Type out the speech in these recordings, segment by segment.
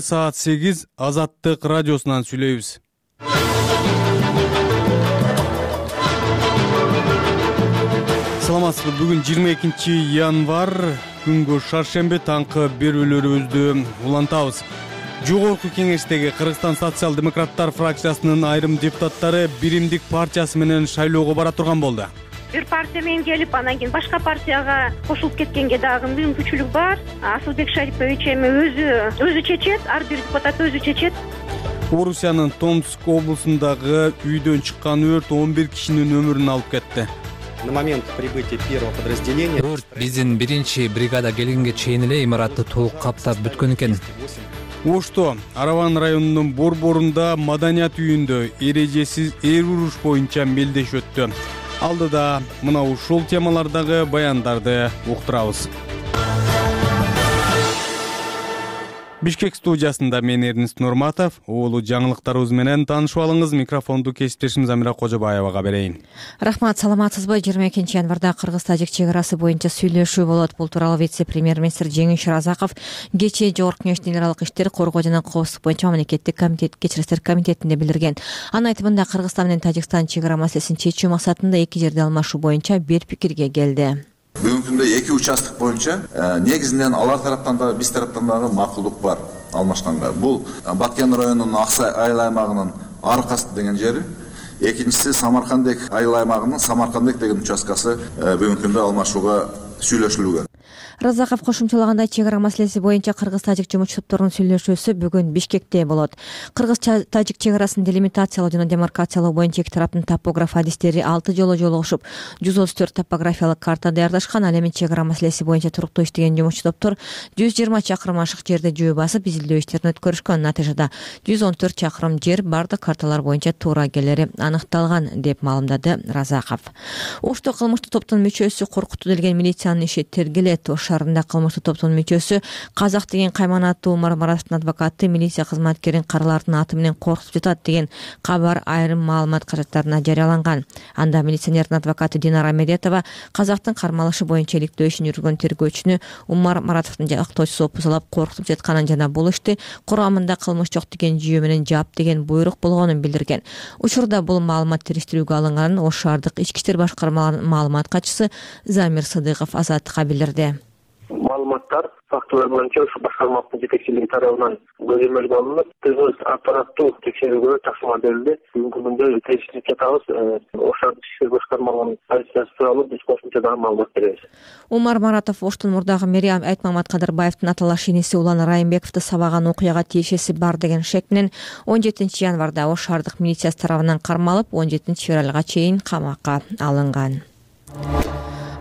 Саат 8 Азаттык радиосунан сүйлөйбүз. Саламатсызбы. Бүгүн 22 январ, күнгө шаршемби, таңкы берүүлөрүбүздү улантабыз. Жогорку кеңештеги Кыргызстан социал-демократтар фракциясынын айрым депутаттары Биримдик партиясы менен шайлоого бара турган болду. Бир партия менен келип, анан кийин башка партияга кошулуп кеткенге дагы мүмкүнчүлүк бар. Асылбек Шарипович эми өзү чечет, ар бир депутат өзү чечет. Орусиянын Томск облусундагы үйдөн чыккан өрт 11 кишинин өмүрүн алып кетти. На момент прибытия первого подразделения өрт биздин биринчи бригада келгенге чейин эле имаратты толук каптап бүткөн экен. Ошто Араван районунун Борборунда маданият үйүндө эрежесиз эр уруш боюнча мелдеш өттү. Алдыда мына ушул темалардагы баяндарды уктурабыз. Бишкек студиясында мен Эрнест Нурматов, уулу жаңылыктарыбыз менен таанышып алыңыз. Микрофонду кесиптешим Замира Кожобаевага берейин. Рахмат, саламатсызбы? 22 январда Кыргыз-Тажик чек арасы боюнча сүйлөшүү болот. Бул тууралуу вице-премьер-министр Жеңиш Разаков кечээ Жогорку Кеңештин эл аралык иштер, коргоо жана коопсуздук боюнча мамлекеттик комитет кечирistер комитетинде билдирген. Анын айтымында Кыргызстан менен Тажикстан чек ара маселесин чечүү максатында эки жерде алмашуу боюнча бир пикирге келди. Бүгүнкү күндө эки участок боюнча негизинен алар тараптан да биз тараптан дагы макулдук бар алмашканга. Бул Баткен районунун Аксай айыл аймагынын Аркас деген жери, экинчиси Самаркандек айыл аймагынын Самаркандек деген участкасы бүгүнкү күндө алмашууга сүйлөшүлгөн. Разаков кошумчалагандай, чек ара маселеси боюнча Кыргыз-Тажик жумушчу топторунун сүйлөшүүсү бүгүн Бишкекте болот. Кыргыз-Тажик чек арасын делимитациялоо жана демаркациялоо боюнча эки тараптын топограф адистери 6 жолу жолугушуп, 134 топографиялык карта даярдашкан. Ал эми чек ара маселеси боюнча туруктуу иштеген жумушчу топтор 120 чакырым ашык жерде жөө басып, изилдөө иштерин өткөрүшкөн. Натыйжада 114 чакырым жер бардык карталар боюнча туура келери аныкталган, деп маалымдады Разаков. Ошто кылмыштуу топтун мүчөсү коркутуу делген милициянын иши тергелет. Шаарында кылмыштуу топтун мүчөсү Казак деген кайманаттуу Умар Маратовдун адвокаты милиция кызматкерин каралардын аты менен коркутуп жатат деген кабар айрым маалымат каражаттарына жарыяланган. Анда милиционердин адвокаты Динара Медетова Казактын кармалышы боюнча иликтөө ишин жүргөн тергөөчүнү Умар Маратовдун жактоочусу опузалап коркутуп жатканын жана бул ишти курамында кылмыш жок деген жүйө менен жаап деген буйрук болгонун билдирген. Учурда бул маалымат териштирүүгө алынганын Ош шаардык ички иштер башкармаларынын маалымат катчысы Замир Сыдыков Азаттыкка билдирди. Маалыматтар фактылар боюнча ушу башкармалыктын жетекчилиги тарабынан көзөмөлгө алынып, түз аппараттуу текшерүүгө тапшырма берилди. Бүгүнкү күндө териштирип жатабыз. Ош шаардык ишер башкармаларынын позициясы тууралуу биз кошумча дагы маалымат беребиз. Умар Маратов Оштун мурдагы мэри Айтмамат Кадырбаевдин аталаш иниси Улан Райымбековду сабаган окуяга тиешеси бар деген шек менен 17 январда Ош шаардык милициясы тарабынан кармалып, 17 февралга чейин камакка алынган.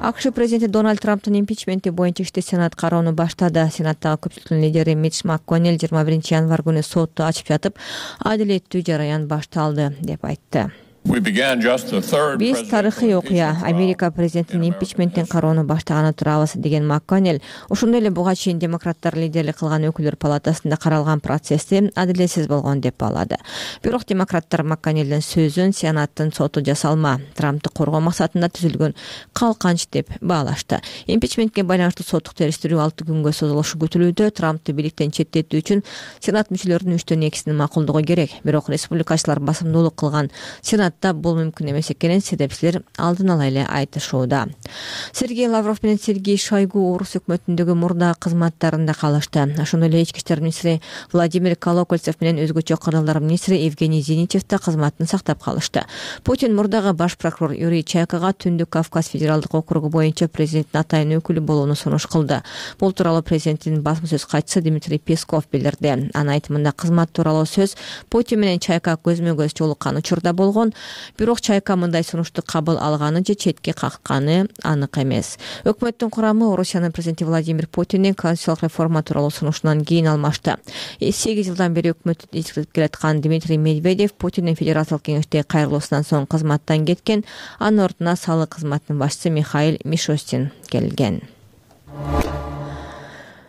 АКШ президенти Дональд Трамптын импичменти боюнча ишти Сенат кароону баштады. Сенаттагы көпчүлүктүн лидери Митч МакКоннелл 21 январ күнү сотту ачып жатып, адилеттүү жараян башталды, деп айтты. Биз тарыхый окуя, Америка президентинин импичментин кароону баштаганы турабыз, деген МакКоннелл. Ошондой эле буга чейин демократтар лидерлик кылган өкүлдөр палатасында каралган процессти адилетсиз болгон деп баалады. Бирок демократтар МакКоннеллдин сөзүн Сенаттын соту жасалма, Трамптты коргоо максатында түзүлгөн калканч деп баалашты. Импичментке байланыштуу соттук териштирүү 6 күнгө созулушу күтүлүүдө. Трамптты бийликтен четтетүү үчүн Сенат мүчөлөрүнүн 3/2 макулдугу керек. Бирок республикачылар басымдуулук кылган Сенат бул мүмкүн эмес экенин себепчилер алдын ала эле айтышууда. Сергей Лавров менен Сергей Шойгу орус өкмөтүндөгү мурда кызматтарында калышты. Ошондой эле ички иштер министри Владимир Колокольцев менен өзгөчө кырдаалдар министри Евгений Зиничев да кызматын сактап калышты. Путин мурдагы баш прокурор Юрий Чайкага Түндүк Кавказ федералдык округу боюнча президенттин атайын өкүлү болууну сунуш кылды. Бул тууралуу президенттин басма сөз катчысы Дмитрий Песков билдирди. Анын айтымында кызмат тууралуу сөз Путин менен Чайка көзмө-көз жолуккан учурда болгон. Бирок Чайка мындай сунушту кабыл алганы же четке какканы анык эмес. Өкмөттүн курамы Орусиянын президенти Владимир Путиндин конституциялык реформа тууралуу сунушунан кийин алмашты. 8 жылдан бери өкмөттү жеткирип келаткан Дмитрий Медведев Путиндин федерациялык кеңеште кайрылуусунан соң кызматтан кеткен. Анын ордуна салык кызматынын башчысы Михаил Мишустин келген.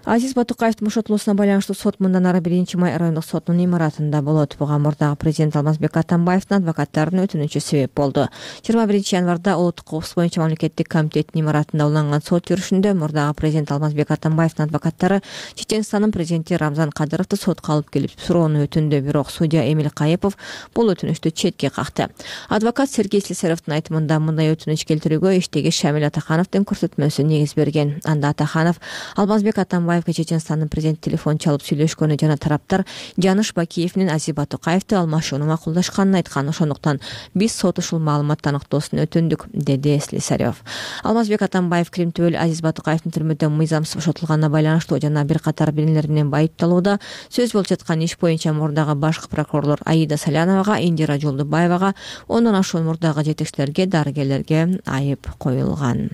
Азиз Батукаевдин бошотулуусуна байланыштуу сот мындан ары 1-май райондук сотунун имаратында болот. Буга мурдагы президент Алмазбек Атамбаевдин адвокаттарынын өтүнүчү себеп болду. 21-январда Улуттук коопсуздук боюнча мамлекеттик комитеттин имаратында уланган сот жүрүшүндө мурдагы президент Алмазбек Атамбаевдин адвокаттары Чеченстандын президенти Рамзан Кадыровду сотко алып келип суроону өтүндү. Бирок судья Эмиль Кайыпов бул өтүнүштү четке какты. Адвокат Сергей Слесаревдин айтымында мындай өтүнүч келтирүүгө иштеги Шамил Атахановдун көрсөтмөсү негиз берген. Анда Атаханов Алмазбек Атамбаевге Чеченстандын президенти телефон чалып сүйлөшкөнү жана тараптар Жаныш Бакиев менен Азиз Батукаевди алмашууну макулдашканын айткан. Ошондуктан биз сот ушул маалымат аныктоосун өтүндүк, деди Слесарев. Алмазбек Атамбаев Крим түбөл Азиз Батукаевдин түрмөдөн мыйзамсыз бошотулганына байланыштуу жана бир катар билимдер менен байыпталууда сөз болуп жаткан иш боюнча мурдагы башкы прокурорлор Аида Саляновага, Индира Жолдубаевага, ондон ашуун мурдагы жетекчилерге, дарыгерлерге айып коюлган.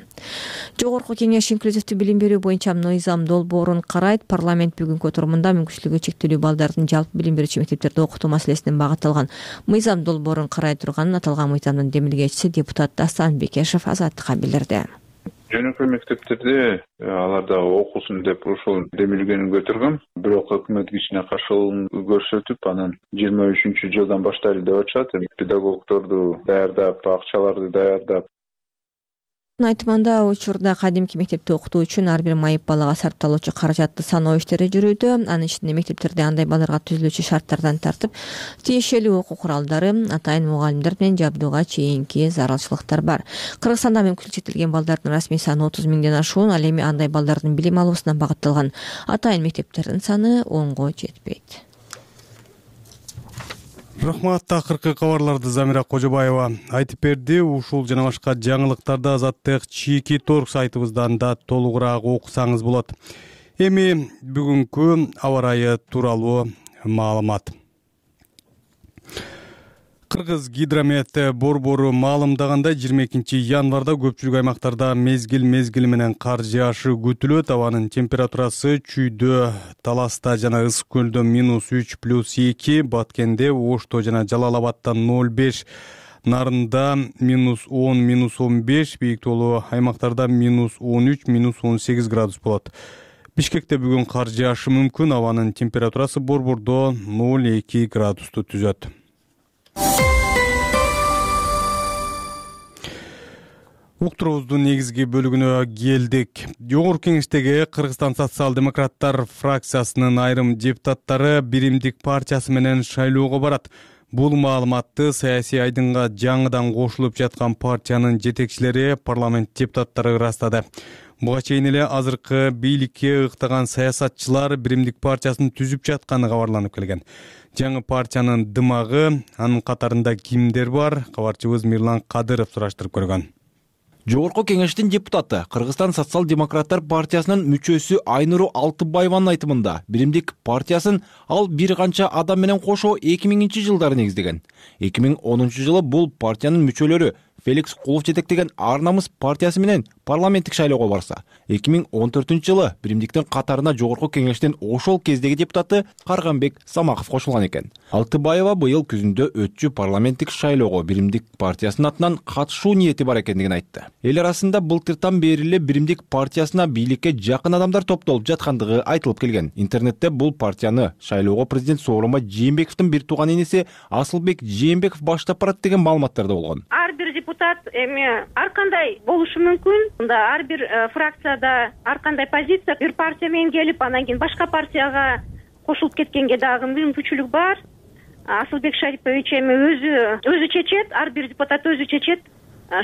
Жогорку кеңеш инклюзивдүү билим берүү боюнча мыйзам долбоорун карайт. Парламент бүгүнкү отурумунда мүмкүнчүлүгү чектелүү балдардын жалпы билим берүүчү мектептерде окутуу маселесине багытталган мыйзам долбоорун карай турганын аталган мыйзамдын демилгечиси депутат Дастан Бекешев Азаттыкка билдирди. Жөнөкөй мектептерде аларда окусун деп ошол демилгени көтөргөн. Бирок өкмөт кичине каршылык көрсөтүп, анан 23-жылдан баштайлы деп атышат. Педагогдорду даярдап, акчаларды даярдап. Айтымында учурда кадимки мектепте окутуу үчүн ар бир майып балага сарпталуучу каражатты саноо иштери жүрүүдө. Анын ичинде мектептерде андай балдарга түзүлүүчү шарттардан тартып, тиешелүү окуу куралдары, атайын мугалимдер менен жабдууга чейинки зарылчылыктар бар. Кыргызстанда мүмкүнчүлүгү чектелген балдардын расмий саны 30 миңден ашуун. Ал эми андай балдардын билим алуусуна багытталган атайын мектептердин саны 10го жетпейт. Рахмат. Акыркы кабарларды Замира Кожобаева айтып берди. Ушул жана башка жаңылыктарды Азаттык Чийки торг сайтыбыздан да толугураак окусаңыз болот. Эми бүгүнкү аба ырайы тууралуу маалымат. Кыргыз гидромет борбору маалымдагандай 22-январда көпчүлүк аймактарда мезгил менен кар жаашы күтүлөт. Абанын температурасы Чүйдө, Таласта жана Ысык көлдө -3 + 2, Баткенде, Ошто жана Жалал Абадда 0,5, Нарында -10 -15, бийик тоолуу аймактарда -13 -18 градус болот. Бишкекте бүгүн кар жаашы мүмкүн. Абанын температурасы борбордо 0,2 градусту түзөт. Уктуруубуздун негизги бөлүгүнө келдик. Жогорку кеңештеги Кыргызстан социал-демократтар фракциясынын айрым депутаттары Биримдик партиясы менен шайлоого барат. Бул маалыматты саясий айдынга жаңыдан кошулуп жаткан партиянын жетекчилери, парламент депутаттары ырастады. Буга чейин эле азыркы бийликке ыктаган саясатчылар Биримдик партиясын түзүп жатканы кабарланып келген. Жаңы партиянын дымагы, анын катарында кимдер бар? Кабарчыбыз Мирлан Кадыров сураштырып көргөн. Жогорку кеңештин депутаты, Кыргызстан социал-демократтар партиясынын мүчөсү Айнуру Алтыбаеванын айтымында, Биримдик партиясын ал бир канча адам менен кошо 2000-жылдары негиздеген. 2010-жылы бул партиянын мүчөлөрү Феликс Кулов жетектеген Ар намыс партиясы менен парламенттик шайлоого барса, 2014-жылы Биримдиктин катарына жогорку кеңештин ошол кездеги депутаты Карганбек Самаков кошулган экен. Алтыбаева быйыл күзүндө өтчү парламенттик шайлоого Биримдик партиясынын атынан катышуу ниети бар экендигин айтты. Эл арасында былтыртан бери эле Биримдик партиясына бийликке жакын адамдар топтолуп жаткандыгы айтылып келген. Интернетте бул партияны шайлоого президент Сооронбай Жээнбековдун бир тууган иниси Асылбек Жээнбеков баштап барат деген маалыматтар да болгон. Ар бир депутат эми ар кандай болушу мүмкүн. Мында ар бир фракцияда ар кандай позиция, бир партия менен келип, анан кийин башка партияга кошулуп кеткенге дагы мүмкүнчүлүк бар. Асылбек Шарипович эми өзү чечет, ар бир депутат өзү чечет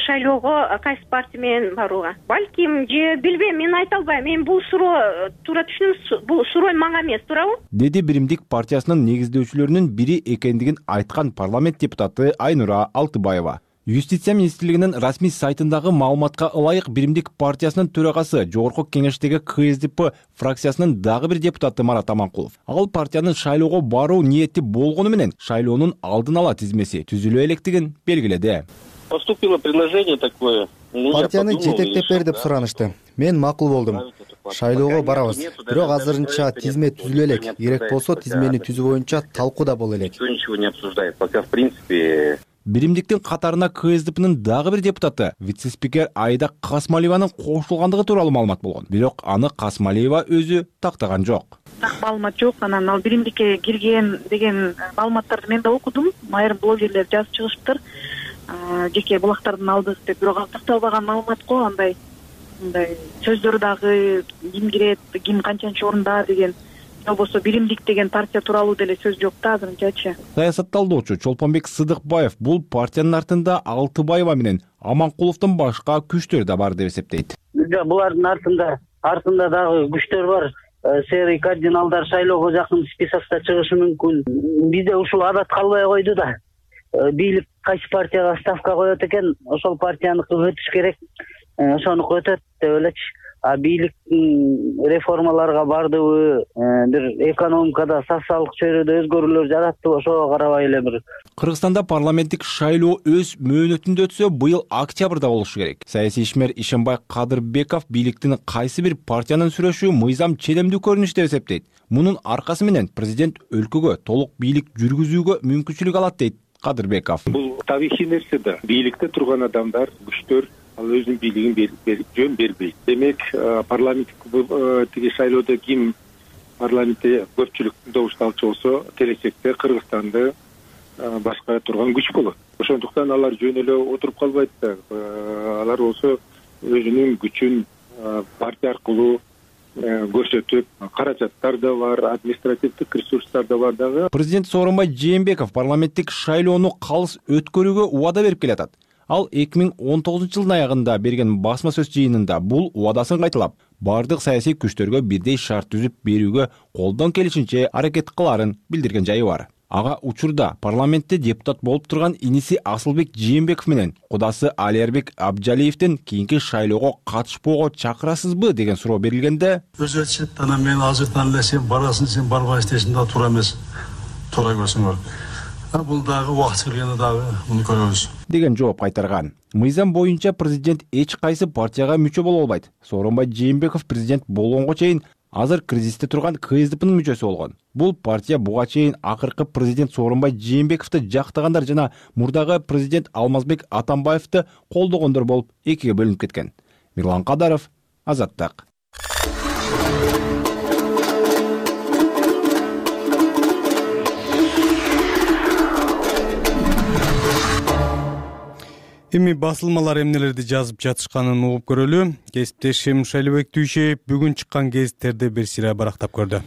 шайлоого кайсы партия менен барууга. Балким же билбейм, мен айта албайм. Мен бул суроо туура түшүнүңүз, бул суроо мага эмес, туурабы? Деди Биримдик партиясынын негиздөөчүлөрүнүн бири экендигин айткан парламент депутаты Айнура Алтыбаева. Юстиция министрлигинин расмий сайтындагы маалыматка ылайык Биримдик партиясынын төрагасы, жогорку кеңештеги КСДП фракциясынын дагы бир депутаты Марат Аманкулов. Ал партиянын шайлоого баруу ниети болгону менен шайлоонун алдын ала тизмеси түзүлө электигин белгиледи. Поступило предложение такое. Партияны жетектеп бер деп суранышты. Мен макул болдум. Шайлоого барабыз. Бирок азырынча тизме түзүлө элек. Керек болсо тизмени түзүү боюнча талкуу да боло элек. Никто ничего не обсуждает. Пока в принципе. биримдиктин катарына КСДПнын дагы бир депутаты вице-спикер Айда Касмалиеванын кошулгандыгы тууралуу маалымат болгон. Бирок аны Касмалиева өзү тактаган жок. Так маалымат жок. Анан ал биримдикке кирген деген маалыматтарды мен да окудум. Айрым блогерлер жазып чыгышыптыр. Жеке булактардан алдык деп, бирок ал такталбаган маалымат го. Андай сөздөр дагы ким кирет, ким канчанчы орунда деген, болбосо биримдик деген партия тууралуу деле сөз жок да азырынчачы. Саясатталдоочу Чолпонбек Сыдыкбаев бул партиянын артында Алтыбаева менен Аманкуловдун башка күчтөр да бар деп эсептейт. Булардын артында дагы күчтөр бар. Серый кардиналдар шайлоого жакын списокто чыгышы мүмкүн. Бизде ушул адат калбай койду да. Бийлик кайсы партияга ставка коет экен, ошол партияныкы өтүш керек. Ошонуку өтөт деп элечи. Бийлик реформаларга бардыбы, бир экономикада, социалдык чөйрөдө өзгөрүүлөр жараттыбы, ошого карабай эле бир. Кыргызстанда парламенттик шайлоо өз мөөнөтүндө өтсө, быйыл октябрда болушу керек. Саясий ишмер Ишенбай Кадырбеков бийликтин кайсы бир партиянын сүрөшү мыйзам челемдүү көрүнүш деп эсептейт. Мунун аркасы менен президент өлкөгө толук бийлик жүргүзүүгө мүмкүнчүлүк алат дейт Кадырбеков. Бул табигый нерсе да. Бийликте турган адамдар, күчтөр ал өзүнүн бийлигин жөн бербейт. Демек, парламенттик тиги шайлоодо ким парламентте көпчүлүк добушту алчу болсо, келечекте Кыргызстанды башкара турган күч болот. Ошондуктан алар жөн эле отуруп калбайт да. Алар болсо өзүнүн күчүн партия аркылуу көрсөтүп, каражаттар да бар, административдик ресурстар да бар дагы. Президент Сооронбай Жээнбеков парламенттик шайлоону калыс өткөрүүгө убада берип келатат. Ал 2019 жылдын аягында берген басма сөз жыйынында бул убадасын кайталап, бардык саясий күчтөргө бирдей шарт түзүп берүүгө колдон келишинче аракет кыларын билдирген жайы бар. Ага учурда парламентте депутат болуп турган иниси Асылбек Жээнбеков менен кудасы Алиербек Абджалиевдин кийинки шайлоого катышпоого чакырасызбы деген суроо берилгенде, өзү айтышат, анан мен азыртан эле сен барасың, сен барбайсың десем да туура эмес. Туура көрсөңөр. Бул дагы убакыт келгенде дагы муну көрөбүз деген жооп кайтарган. Мыйзам боюнча президент эч кайсы партияга мүчө боло албайт. Сооронбай Жээнбеков президент болгонго чейин азыр кризисте турган КСДПнын мүчөсү болгон. Бул партия буга чейин акыркы президент Сооронбай Жээнбековду жактагандар жана мурдагы президент Алмазбек Атамбаевди колдогондор болуп экиге бөлүнүп кеткен. Мирлан Кадаров, Азаттык. Эми басылмалар эмнелерди жазып жатышканын угуп көрөлү. Кесиптешим Шайлыбек Түйшеев бүгүн чыккан гезиттерди бир сыйра барактап көрдү.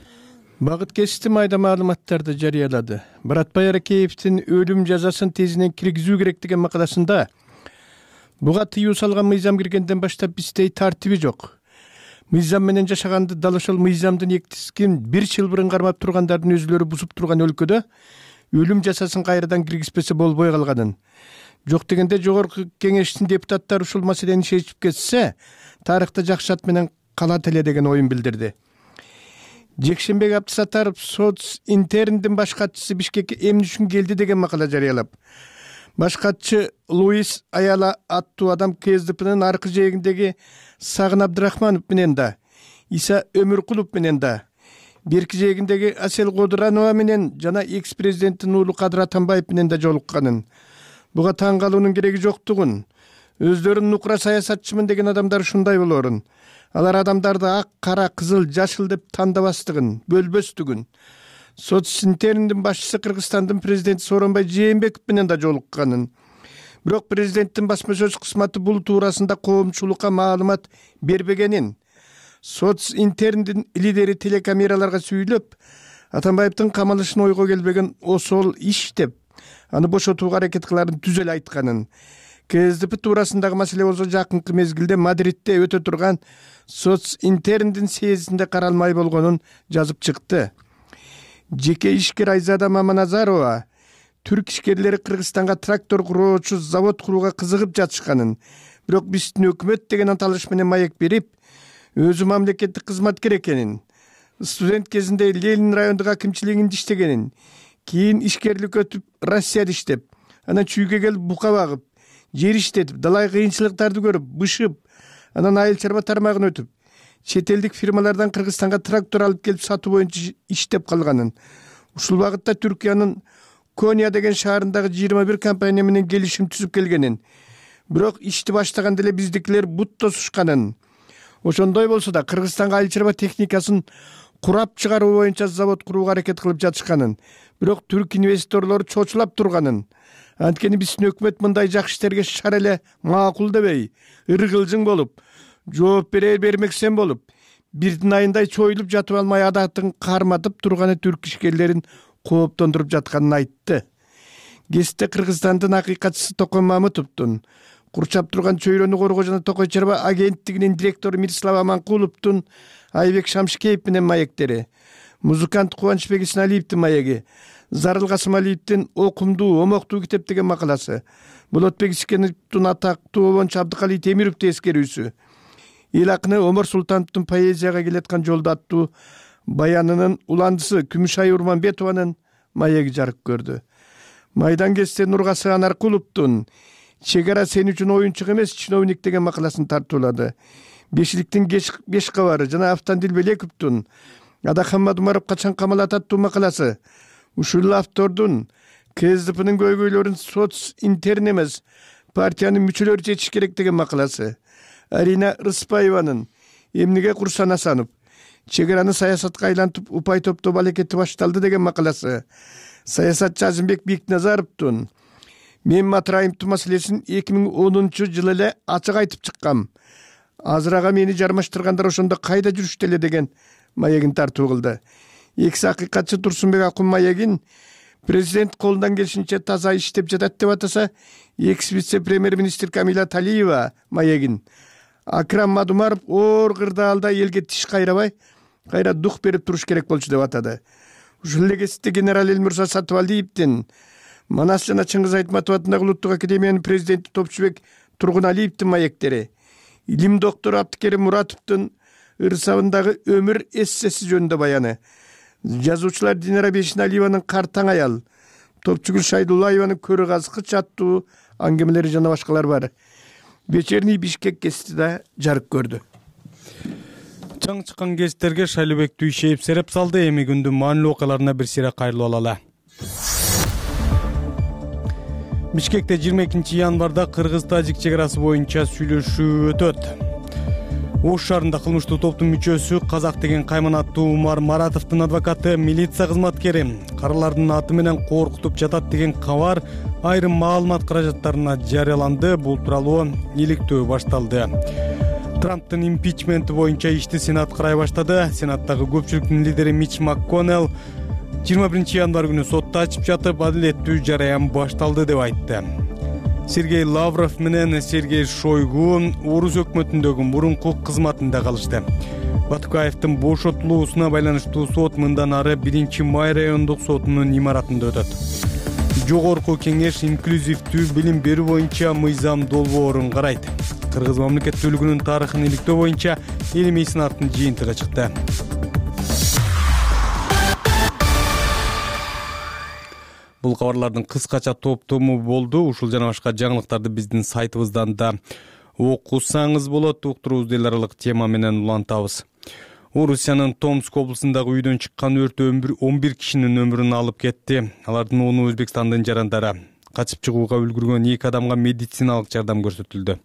Багыт кести майда маалыматтарды жарыялады. Баратбай Аракеевдин өлүм жазасын тезинен киргизүү керек деген макаласында буга тыюу салган мыйзам киргенден баштап бизде тартиби жок. Мыйзам менен жашаганды дал ошол мыйзамдын эктискин бир жыл бурун кармап тургандардын өзүлөрү бузуп турган өлкөдө өлүм жазасын кайрадан киргизбесе болбой калганын, жок дегенде жогорку кеңештин депутаттары ушул маселени чечип кетсе, тарыхта жакшы ат менен калат эле деген оюн билдирди. Жекшенбек Абдысаттаров Социнтерндин баш катчысы Бишкекке эмне үчүн келди деген макала жарыялап, баш катчы Луис Аяла аттуу адам КСДПнын аркы жээгиндеги Сагын Абдрахманов менен да, Иса Өмүркулов менен да, берки жээгиндеги Асел Кодуранова менен жана экс-президенттин уулу Кадыр Атамбаев менен да жолукканын, буга таң калуунун кереги жоктугун, өздөрүн нукура саясатчымын деген адамдар ушундай болорун, алар адамдарды ак, кара, кызыл, жашыл деп тандабастыгын, бөлбөстүгүн, Социнтерндин башчысы Кыргызстандын президенти Сооронбай Жээнбеков менен да жолукканын, бирок президенттин басма сөз кызматы бул туурасында коомчулукка маалымат бербегенин, Социнтерндин лидери телекамераларга сүйлөп, Атамбаевдин камалышын ойго келбеген осол иш деп, аны бошотууга аракет кыларын түз эле айтканын, КСДП туурасындагы маселе болсо жакынкы мезгилде Мадридте өтө турган Социнтерндин съездинде каралмай болгонун жазып чыкты. Жеке ишкер Айзада Маманазарова түрк ишкерлери Кыргызстанга трактор куруучу завод курууга кызыгып жатышканын, бирок биздин өкмөт деген аталыш менен маек берип, өзү мамлекеттик кызматкер экенин, студент кезинде Ленин райондук акимчилигинде иштегенин, кийин ишкерлик өтүп Россияда иштеп, анан чүйгө келип бука багып, жер иштетип, далай кыйынчылыктарды көрүп, бышып, анан айыл чарба тармагын өтүп, чет элдик фирмалардан Кыргызстанга трактор алып келип сатуу боюнча иштеп калганын, ушул багытта Түркиянын Коня деген шаарындагы 21 компания менен келишим түзүп келгенин, бирок ишти баштаганда эле биздикилер бут тосушканын. Ошондой болсо да Кыргызстанга айыл чарба техникасын курап чыгаруу боюнча завод курууга аракет кылып жатышканын, бирок түрк инвесторлору чочулап турганын. Анткени биздин өкмөт мындай жакшы иштерге шар эле макул дебей, ыргылжың болуп, жооп бермексен болуп, бирдин айындай чоюлуп жатып алмай адатын карматып турганы түрк ишкерлерин кооптондуруп жатканын айтты. Кесте Кыргызстандын акыйкатчысы Токой Мамытовдун, курчап турган чөйрөнү коргоо жана Токой чарба агенттигинин директору Мирислав Аманкуловдун Айбек Шамшикеев менен маектери, музыкант Кубанычбек Исеналиевдин маеги, Зарыл Касымалиевдин окумдуу, омоктуу китеп деген макаласы, Болотбек Искеновдун атактуу обончу Абдыкалий Темировду эскерүүсү, эл акыны Омар Султановдун поэзияга келаткан жолдо аттуу баянынын уландысы Күмүшай Урманбетованын маеги жарык көрдү. Майдан кесте Нургасы Анаркуловдун Чегара сен үчүн оюнчук эмес, чиновник деген макаласын тартуулады. Бешиликтин беш кабары жана Автандил Белековдун Адахаммад Умаров качан камалат аттуу макаласы, ушул автордун КСДПнын көйгөйлөрүн соц интерн эмес, партиянын мүчөлөрү чечиш керек деген макаласы, Арина Рыспаеванын эмнеге Курсан Асанов чегараны саясатка айлантып упай топтоо балекети башталды деген макаласы, саясатчы Азимбек Бекназаровдун мен Матраимдин маселесин 2010-жылы эле ачык айтып чыккам. Азырага мени жармаштыргандар ошондо кайда жүрүштү эле деген маегин тартуу кылды. Экс акыйкатчы Турсунбек Акун маегин президент колундан келишинче таза иштеп жатат деп атаса, экс вице-премьер-министр Камила Талиева маегин Акрам Мадумаров оор кырдаалда элге тиш кайрабай, кайра дух берип туруш керек болчу деп атады. Ушул эле кесипте генерал Элмурза Сатыбалдиевдин, Манас жана Чыңгыз Айтматов атындагы Улуттук академиянын президенти Топчубек Тургуналиевдин маектери, илим доктору Абдыкерим Муратовдун ырсабындагы өмүр эссеси жөнүндө баяны, жазуучулар Динара Бешиналиеванын Картаң аял, Топчугүл Шайдуллаеванын Көрү казкыч аттуу аңгемелери жана башкалар бар. Вечерний Бишкек кести да жарык көрдү. Чаң чыккан гезиттерге Шайлообек Дүйшеев сереп салды. Эми күндүн маанилүү окуяларына бир сыйра кайрылып алалы. Бишкекте 22 январда Кыргыз-Тажик чегарасы боюнча сүйлөшүү өтөт. Ош шаарында кылмыштуу топтун мүчөсү Казак деген Кайман аттуу Умар Маратовдун адвокаты, милиция кызматкери каралардын аты менен коркутуп жатат деген кабар айрым маалымат каражаттарына жарыяланды. Бул тууралуу иликтөө башталды. Трамптын импичменти боюнча ишти Сенат карай баштады. Сенаттагы көпчүлүктүн лидери Мич МакКоннелл 21 январ күнү сотто ачып жатып, адилеттүү жараян башталды деп айтты. Сергей Лавров менен Сергей Шойгу Орус өкмөтүндөгү мурунку кызматында калышты. Батукаевдин бошотулуусуна байланыштуу сот мындан ары 1-Май райондук сотунун имаратында өтөт. Жогорку кеңеш инклюзивдүү билим берүү боюнча мыйзам долбоорун карайт. Кыргыз мамлекеттүүлүгүнүн тарыхын иликтөө боюнча илимий сынактын жыйынтыгы чыкты. Бул кабарлардын кыскача топтому болду. Ушул жана башка жаңылыктарды биздин сайтыбыздан да окусаңыз болот. Уктуруубузду эл аралык тема менен улантабыз. Орусиянын Томск облусундагы үйдөн чыккан өрт 11 кишинин өмүрүн алып кетти. Алардын 10-у Өзбекстандын жарандары. Качып чыгууга үлгүргөн 2 адамга медициналык жардам көрсөтүлдү.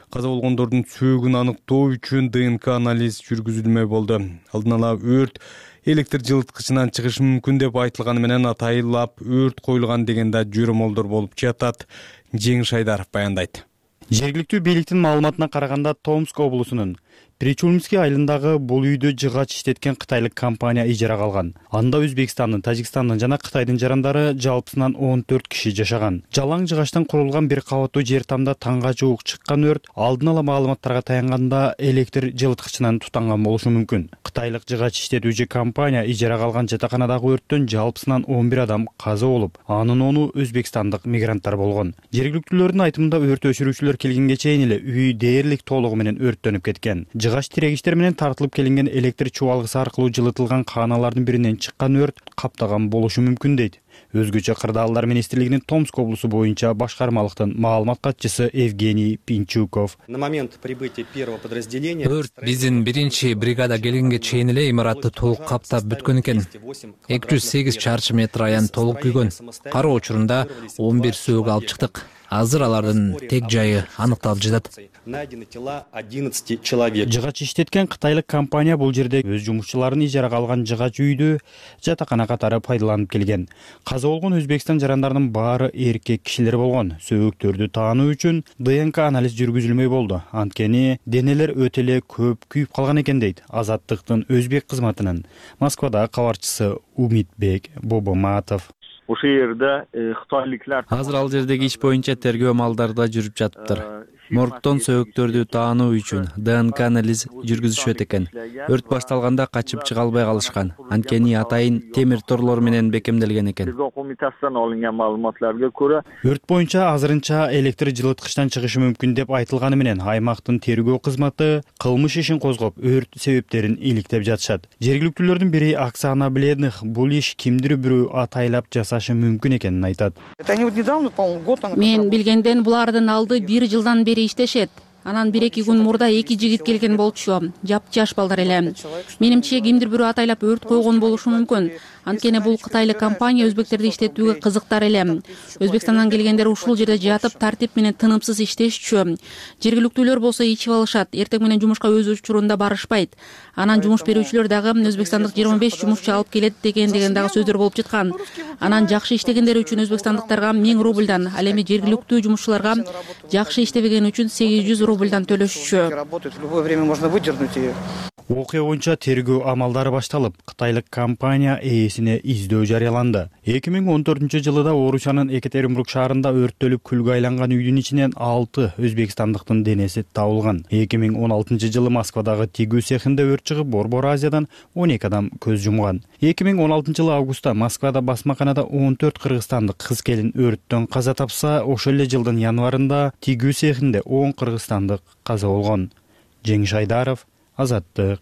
Каза болгондордун сөөгүн аныктоо үчүн ДНК анализ жүргүзүлмөй болду. Алдын ала өрт электр жылыткычынан чыгышы мүмкүн деп айтылганы менен атайылап өрт коюлган деген да жөрөмөлдөр болуп жатат. Жеңиш Айдаров баяндайт. Жергиликтүү бийликтин маалыматына караганда Томск облусунун Причулмский айылындагы бул үйдө жыгач иштеткен кытайлык компания ижарага алган. Анда Өзбекстандын, Тажикстандын жана Кытайдын жарандары жалпысынан 14 киши жашаган. Жалаң жыгачтан курулган бир кабаттуу жер тамда таңга жуук чыккан өрт алдын ала маалыматтарга таянганда электр жылыткычынан тутанган болушу мүмкүн. Кытайлык жыгач иштетүүчү компания ижарага алган жатаканадагы өрттөн жалпысынан 11 адам каза болуп, анын 10-у өзбекстандык мигранттар болгон. Жергиликтүүлөрдүн айтымында өрт өчүрүүчүлөр келгенге чейин эле үй дээрлик толугу менен өрттөнүп кеткен. жыгач тирегичтер менен тартылып келинген электр чубалгысы аркылуу жылытылган кааналардын биринен чыккан өрт каптаган болушу мүмкүн дейт. Өзгөчө Кырдаалдар министрлигинин Томск облусу боюнча башкармалыктын маалымат катчысы Евгений Пинчуков. На момент прибытия первого подразделения өрт биздин биринчи бригада келгенге чейин эле имаратты толук каптап бүткөн экен. 208 чарчы метр аян толук күйгөн. Кароо учурунда 11 сөөгү алып чыктык. Азыр алардын тек жайы аныкталып жатат. Найдены тела 11 человек. Жыгач иштеткен кытайлык компания бул жерде өз жумушчуларын ижарага алган жыгач үйдү жатакана катары пайдаланып келген. Каза болгон Өзбекстан жарандарынын баары эркек кишилер болгон. Сөөгүктөрдү таануу үчүн ДНК анализ жүргүзүлмөй болду. Анткени денелер өтө эле көп күйүп калган экен дейт Азаттыктын өзбек кызматынын Москвадагы кабарчысы Умитбек Бобоматов. Ошол жерде кытайлыклар азыр ал жердеги иш боюнча тергөө амалдары да жүрүп жатыптыр. Моргтон сөөгүктөрдү таануу үчүн ДНК анализ жүргүзүшөт экен. Өрт башталганда качып чыга албай калышкан. Анткени атайын темир торлор менен бекемделген экен. Комитасынан алынган маалыматларга көрө өрт боюнча азырынча электр жылыткычтан чыгышы мүмкүн деп айтылганы менен аймактын тергөө кызматы кылмыш ишин козгоп, өрт себептерин иликтеп жатышат. Жергиликтүүлөрдүн бири Оксана Бледных бул иш кимдир бирөө атайлап жасашы мүмкүн экенин айтат. Мен билгенден булардын алды 1 жылдан бери иштешет. Анан 1-2 күн мурда 2 жигит келген болчу. Жаш балдар эле. Менимче кимдир бирөө атайлап өрт койгон болушу мүмкүн. Анткени бул кытайлык компания өзбектерди иштетүүгө кызыктар эле. Өзбекстандан келгендер ушул жерде жатып тартип менен тынымсыз иштешчү. Жергиликтүүлөр болсо ичип алышат. Эртең менен жумушка өз учурунда барышпайт. Анан жумуш берүүчүлөр дагы өзбекстандык 25 жумушчу алып келет деген дагы сөздөр болуп жаткан. Анан жакшы иштегендер үчүн өзбекстандыктарга 1000 рубльдан, ал эми жергиликтүү жумушчуларга жакшы иштебеген үчүн 800 рубльдан төлөшчү. Окуя боюнча тергөө амалдары башталып, кытайлык компания ээсине издөө жарыяланды. 2014 жылыда Орусиянын Екатеринбург шаарында өрттөлүп күлгө айланган үйдүн ичинен 6 өзбекстандыктын денеси табылган. 2016 жылы Москвадагы тигүү цехинде өрт чыгып, Борбор Азиядан 12 адам көз жумган. 2016 жылы августта Москвада басмаканада 14 кыргызстандык кыз келин өрттөн каза тапса, ошол эле жылдын январында тигүү цехинде 10 кыргызстандык каза болгон. Жеңиш Айдаров, Азаттык.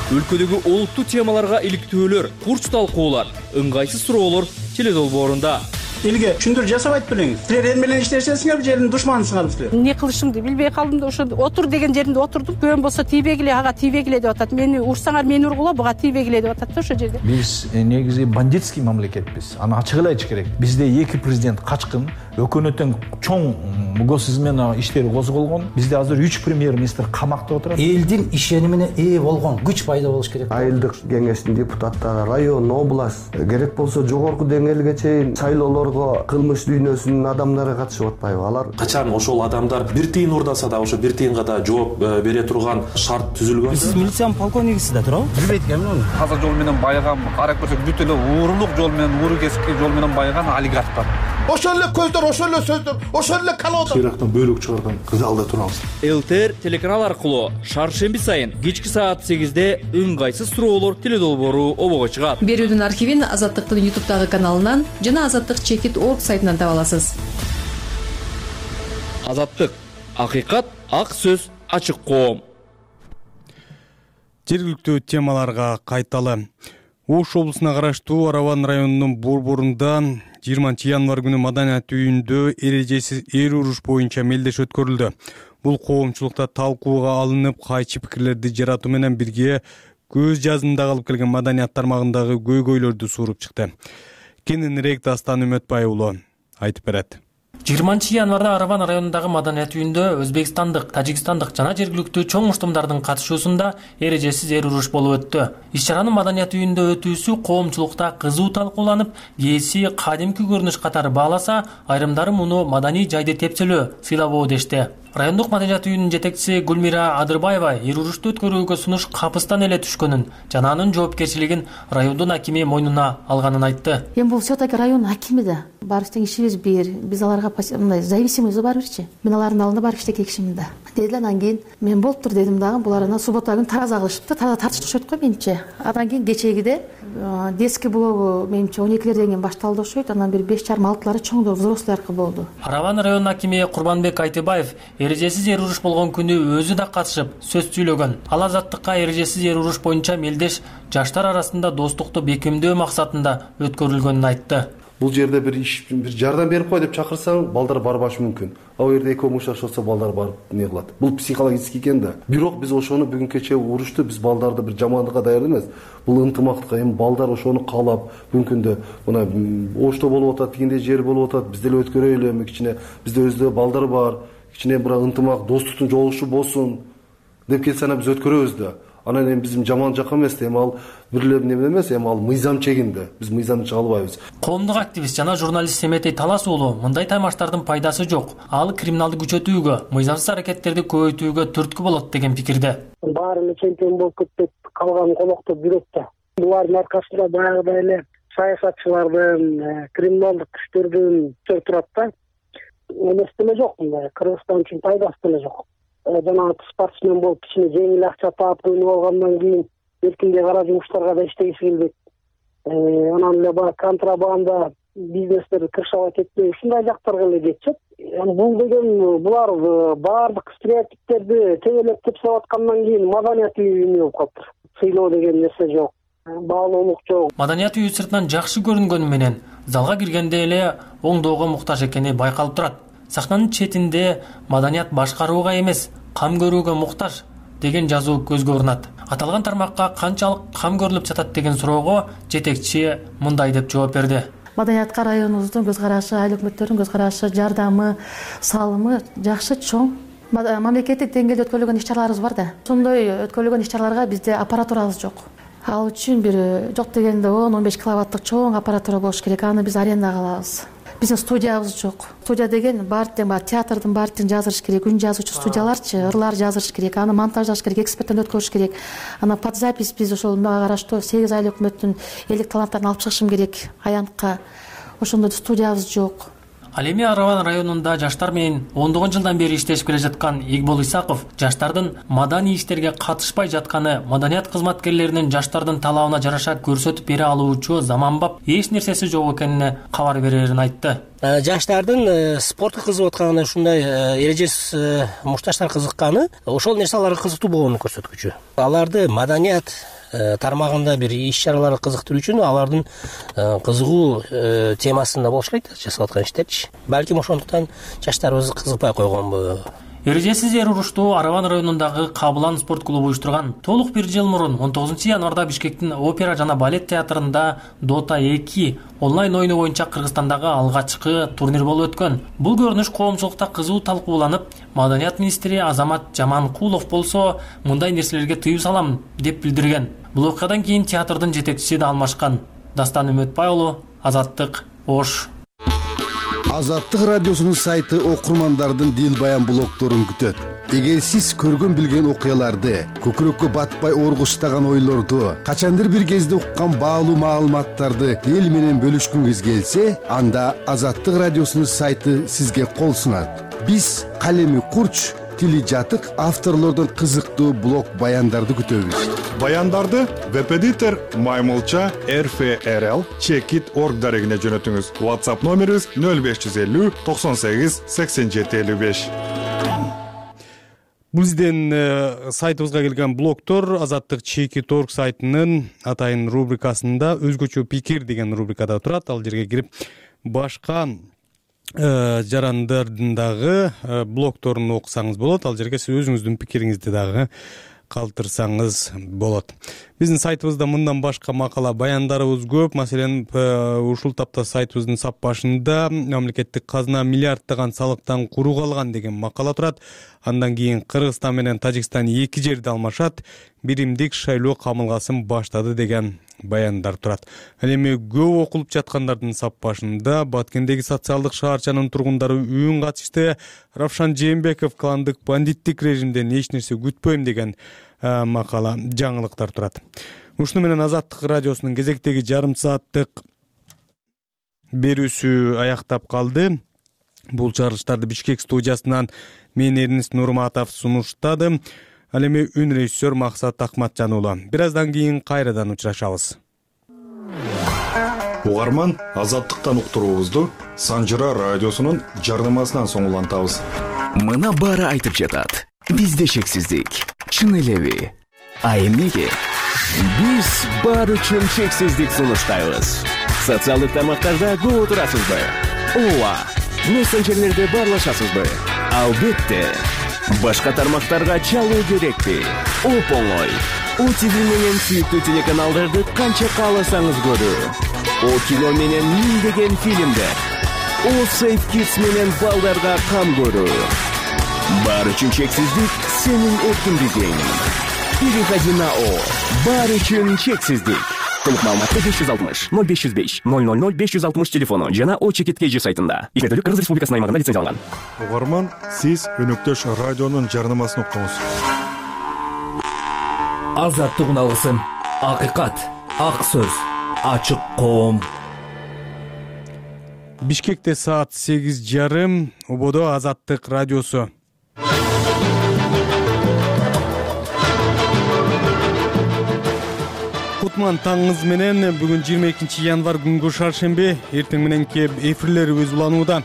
Өлкөдөгү олуттуу темаларга иликтөөлөр, курч талкуулар, ыңгайсыз суроолор теледолбоорунда. Элге түшүндүр жасабайт белеңиз. Силер эл менен иштешесиңер, жердин душманысыңар силер. Эмне кылышымды билбей калдым да ошо отур деген жеринде отурдум. Көөм болсо тийбегиле, ага тийбегиле деп атат. Мени урсаңар мени ургула, буга тийбегиле деп атат да ошо жерде. Биз негизи бандитский мамлекетпиз. Аны ачык эле айтыш керек. Бизде 2 президент качкын, өкмөттүн чоң мугос измена иштери козголгон. Бизде азыр 3 премьер-министр камакта отурат. Элдин ишенимине ээ болгон күч пайда болуш керек. Айылдык кеңештин депутаттары, район, область, керек болсо жогорку деңгээлге чейин шайлоолорго кылмыш дүйнөсүнүн адамдары катышып атпайбы? Алар качан ошол адамдар бир тыйын урдаса да ошо бир тыйынга да жооп бере турган шарт түзүлгөн. Сиз милициянын полковнигисиз да туурабы? Билбейт экенмин. Таза жол менен байыган, карап көрсөк бүт эле уурулук жол менен, ууру кесикти жол менен байыган олигархтар. Ошол эле көздөр, ошол эле сөздөр, ошол эле калоодо. Ирактан бөлүк чыгарган залда турабыз. ЛТР телеканал аркылуу шаршемби сайын кечки саат 8-де ыңгайсыз суроолор теледолбоору обого чыгат. Берүүдүн архивин Азаттыктын YouTube'дагы каналынан жана azаттык-org сайтынан таба аласыз. Азаттык, акыйкат, ак сөз, ачык коом. Жергиликтүү темаларга кайталы. Ош облусуна караштуу Араван районунун борборунда 20 январ күнү маданият үйүндө эрежесиз эр уруш боюнча мелдеш өткөрүлдү. Бул коомчулукта талкууга алынып, кайчы пикирлерди жаратуу менен бирге көз жазында калып келген маданият тармагындагы көйгөйлөрдү сууруп чыкты. Кененирээк Дастан Үмөтбай уулу айтып берет. 20 январда Араван районундагы маданият үйүндө өзбекстандык, тажикстандык жана жергиликтүү чоң муштумдардын катышуусунда эрежесиз эр уруш болуп өттү. Иш-чаранын маданият үйүндө өтүүсү коомчулукта кызуу талкууланып, кээси кадимки көрүнүш катары бааласа, айрымдары муну маданий жайды тепселөө, сыйлабоо дешти. Райондук маданият үйүнүн жетекчиси Гүлмира Адырбаева эр урушту өткөрүүгө сунуш капыстан эле түшкөнүн жана анын жоопкерчилигин райондун акими мойнуна алганын айтты. Эми бул все-таки район акими да. Баарыбыздын ишибиз бир. Биз аларга мындай зависимыйбыз барбырчы. Мен алардын алдында барып иштеген кишимин да. Деди анан кийин мен болуптур дедим дагы. Булар анан суббота күнү тараза кылышыптыр. Тараза тартыштырышат го менимче. Андан кийин кечегиде детский блогу менимче 12-лерден кийин башталды окшойт. Анан бир 5,5-6-лары чоңдор взрослыйларкы болду. Араван районунун акими Курбанбек Айтыбаев эрежесиз эр уруш болгон күнү өзү да катышып сөз сүйлөгөн. Ал азаттыкка эрежесиз эр уруш боюнча мелдеш жаштар арасында достукту бекемдөө максатында өткөрүлгөнүн айтты. Бул жерде бир жардам берип кой деп чакырсаң, балдар барбашы мүмкүн. Ал жерде эки мушташ болсо балдар барып не кылат. Бул психологический экен да. Бирок биз ошону бүгүн кече урушту биз балдарды бир жамандыкка даярдуу эмес. Бул ынтымактыкка, эми балдар ошону каалап, бүгүнкү күндө мына Ошто болуп атат, тигиндей жер болуп атат, биз деле өткөрөлү, эми кичине бизде өзүдө балдар бар, кичине бир ынтымак, достуктун жолугушу болсун деп келсе ана биз өткөрөбүз да. Анан эми биздин жаман жакка эмес, эми ал бирлеп неме эмес, эми ал мыйзам чегинде. Биз мыйзамды чыга албайбыз. Коомдук активист жана журналист Семетей Талас уулу мындай таймаштардын пайдасы жок. Ал криминалды күчөтүүгө, мыйзамсыз аракеттерди көбөйтүүгө түрткү болот деген пикирде. Баарына чемпион болуп кетип калган колоктоп жүрөт да. Булардын аркасында баягыдай эле саясатчылардын, криминалдык күчтөрдүн турат да. Эместеме жок мындай. Кыргызстан үчүн пайдасы деле жок. Жана спортсмен болуп кичине жеңил акча таап көйнөп алгандан кийин эркиндей кара жумуштарга да иштегиси келбейт. Анан эле баягы контрабанда бизнестер кыршабат этпей ушундай жактарга эле кетишет. Бул деген булар баардык стереотиптерди тебелеп тепсеп аткандан кийин маданият үйү эме болуп калыптыр. Сыйлоо деген нерсе жок. Баалуулук жок. Маданият үйү сыртынан жакшы көрүнгөнү менен залга киргенде эле оңдоого муктаж экени байкалып турат. Сахнанын четинде маданият башкарууга эмес, кам көрүүгө муктаж деген жазуу көзгө урунат. Аталган тармакка канчалык кам көрүлүп жатат деген суроого жетекчи мындай деп жооп берди. Маданиятка районубуздун көз карашы, айыл өкмөттөрүнүн көз карашы, жардамы, салымы жакшы, чоң. Мамлекеттик деңгээлде өткөрүлгөн иш-чараларыбыз бар да. Ошондой өткөрүлгөн иш-чараларга бизде аппаратурабыз жок. Ал үчүн бир жок дегенде 10-15 киловаттык чоң аппаратура болуш керек. Аны биз арендага алабыз. Биздин студиябыз жок. Студия деген баардык театрдын баардыгын жаздырыш керек, үн жазуучу студияларчы, ырлар жаздырыш керек, аны монтаждаш керек, эксперттен өткөрүш керек. Ана под запись биз ошол мага караштуу 8 айыл өкмөттүн элдик таланттарын алып чыгышым керек аянтка. Ошондой студиябыз жок. Ал эми Араван районунда жаштар менен 10 жылдан бери иштешип келе жаткан Игбол Исаков жаштардын маданий иштерге катышпай жатканы маданият кызматкерлеринин жаштардын талабына жараша көрсөтүп бере алуучу заманбап эч нерсеси жок экенине кабар берерин айтты. Жаштардын спортко кызыгып атканы, ушундай эрежесиз мушташтар кызыкканы, ошол нерсе аларга кызыктуу болгонун көрсөткүчү. Аларды маданият тармагында бир иш-чаралар кызыктыруу үчүн алардын кызыгуу темасында болуш керек жасап аткан иштерчи. Балким ошондуктан жаштарыбыз кызыкпай койгонбу. Эрежесиз эр урушту Араван районундагы Кабылан спорт клубу уюштурган. Толук бир жыл мурун 19 январда Бишкектин опера жана балет театрында Дота 2 онлайн оюну боюнча Кыргызстандагы алгачкы турнир болуп өткөн. Бул көрүнүш коомчулукта кызуу талкууланып, маданият министри Азамат Жаманкулов болсо мындай нерселерге тыюу салам деп билдирген. Бул окуядан кийин театрдын жетекчиси да алмашкан. Дастан Үмөтбай уулу, Азаттык, Ош. Азаттык радиосунун сайты окурмандардын дил баян блогторун күтөт. Эгер сиз көргөн билген окуяларды, көкүрөккө батпай оргуштаган ойлорду, качандыр бир кезде уккан баалуу маалыматтарды эл менен бөлүшкүңүз келсе, анда Азаттык радиосунун сайты сизге кол сунат. Биз калеми курч, тили жатык авторлордун кызыктуу блог баяндарды күтөбүз. Баяндарды веб-эдитор Маймылча RFRL Checkit.org дарегине жөнөтүңүз. WhatsApp номерибиз 0550 98 87 55. Бул биздин сайтыбызга келген блогтор Азаттык Checkit.org сайтынын атайын рубрикасында өзгөчө пикир деген рубрикада турат. Ал жерге кирип башка жарандардын дагы блогторун окусаңыз болот. Ал жерге сиз өзүңүздүн пикириңизди дагы калтырсаңыз болот. Биздин сайтыбызда мындан башка макала баяндарыбыз көп. Маселен, ушул тапта сайтыбыздын сап башында мамлекеттик казына миллиарддаган салыктан куру калган деген макала турат. Андан кийин Кыргызстан менен Тажикстан эки жерди алмашат, биримдик шайлоо камылгасын баштады деген баяндар турат. Ал эми көп окулуп жаткандардын сап башында Баткендеги социалдык шаарчанын тургундары үн катышты. Равшан Жээнбеков кландык бандиттик режимден эч нерсе күтпөйм деген макала, жаңылыктар турат. Ушуну менен Азаттык радиосунун кезектеги жарым сааттык берүүсү аяктап калды. Бул чыгарылыштарды Бишкек студиясынан мен Эрнис Нурматов сунуштадым. Ал эми үн режиссер Максат Акматжан уулу. Бир аздан кийин кайрадан учурашабыз. Угарман, Азаттыктан уктуруубузду Санжыра радиосунун жардамасынан соң улантабыз. Мына баары айтып жатат. Бизде шексиздик. Чын элеби? А эмнеге? Биз баары үчүн шексиздик сунуштайбыз. Социалдык тармактарда көп отурасызбы? Ооба. Мессенджерлерде баарлашасызбы? Албетте. Башка тармактарга чалуу керекпи? Оп-оңой. ОТВ менен сүйүктүү телеканалдарды канча кааласаңыз көрүү. О кино менен миңдеген фильмдер. О Safe Kids менен балдарга кам көрүү. Баары үчүн чексиздик сенин эркиндигиң. Переходи на О. Баары үчүн чексиздик. Толук маалыматты 560 0505 000 560 телефону жана О Чекит KG сайтында. Иштетүүлүк Кыргыз Республикасынын аймагында лицензияланган. Угарман, сиз өнөктөш радионун жарнамасын уктуңуз. Азаттык алгысын. Акыйкат, ак сөз, ачык коом. Бишкекте саат 8:30, Ободо Азаттык радиосу. Кутман таңыңыз менен бүгүн 22 январь күнгү шаршемби, эртең мененки эфирлерибиз уланууда.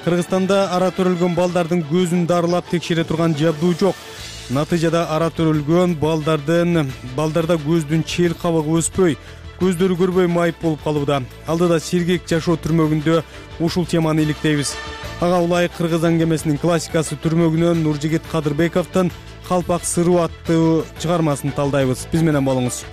Кыргызстанда ара төрөлгөн балдардын көзүн дарылап текшере турган жабдуу жок. Натыйжада ара төрөлгөн балдарда көздүн чер кабыгы өспөй, көздөрү көрбөй майып болуп калууда. Алдыда сергек жашоо түрмөгүндө ушул теманы иликтейбиз. Ага улай Кыргыз аңгемесинин классикасы түрмөгүнөн Нуржигит Кадырбековдун Калпак сыруу аттуу чыгармасын талдайбыз. Биз менен болуңуз.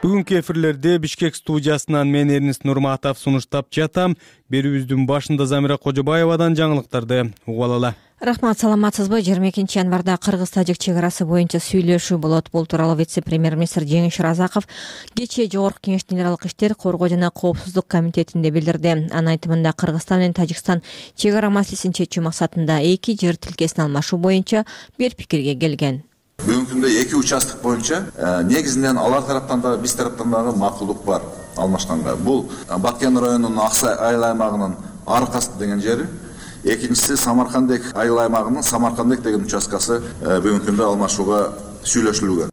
Бүгүнкү эфирлерде Бишкек студиясынан мен Эрнис Нурматов сунуштап жатам. Берүүбүздүн башында Замира Кожобаевадан жаңылыктарды угуп алалы. Рахмат, саламатсызбы? 22 январда Кыргыз-Тажик чек арасы боюнча сүйлөшүү болот. Бул тууралуу вице-премьер-министр Жеңиш Разаков кечээ Жогорку Кеңештин генералдык иштер, коргоо жана коопсуздук комитетинде билдирди. Анын айтымында Кыргызстан менен Тажикстан чек ара маселесин чечүү максатында эки жер тилкесин алмашуу боюнча бир пикирге келген. Бүгүнкү күндө эки участок боюнча негизинен алар тараптан да биз тараптан дагы макулдук бар алмашканга. Бул Баткен районунун Аксай айыл аймагынын Аркасы деген жери, экинчиси Самаркандек айыл аймагынын Самаркандек деген участкасы бүгүнкү күндө алмашууга сүйлөшүлгөн.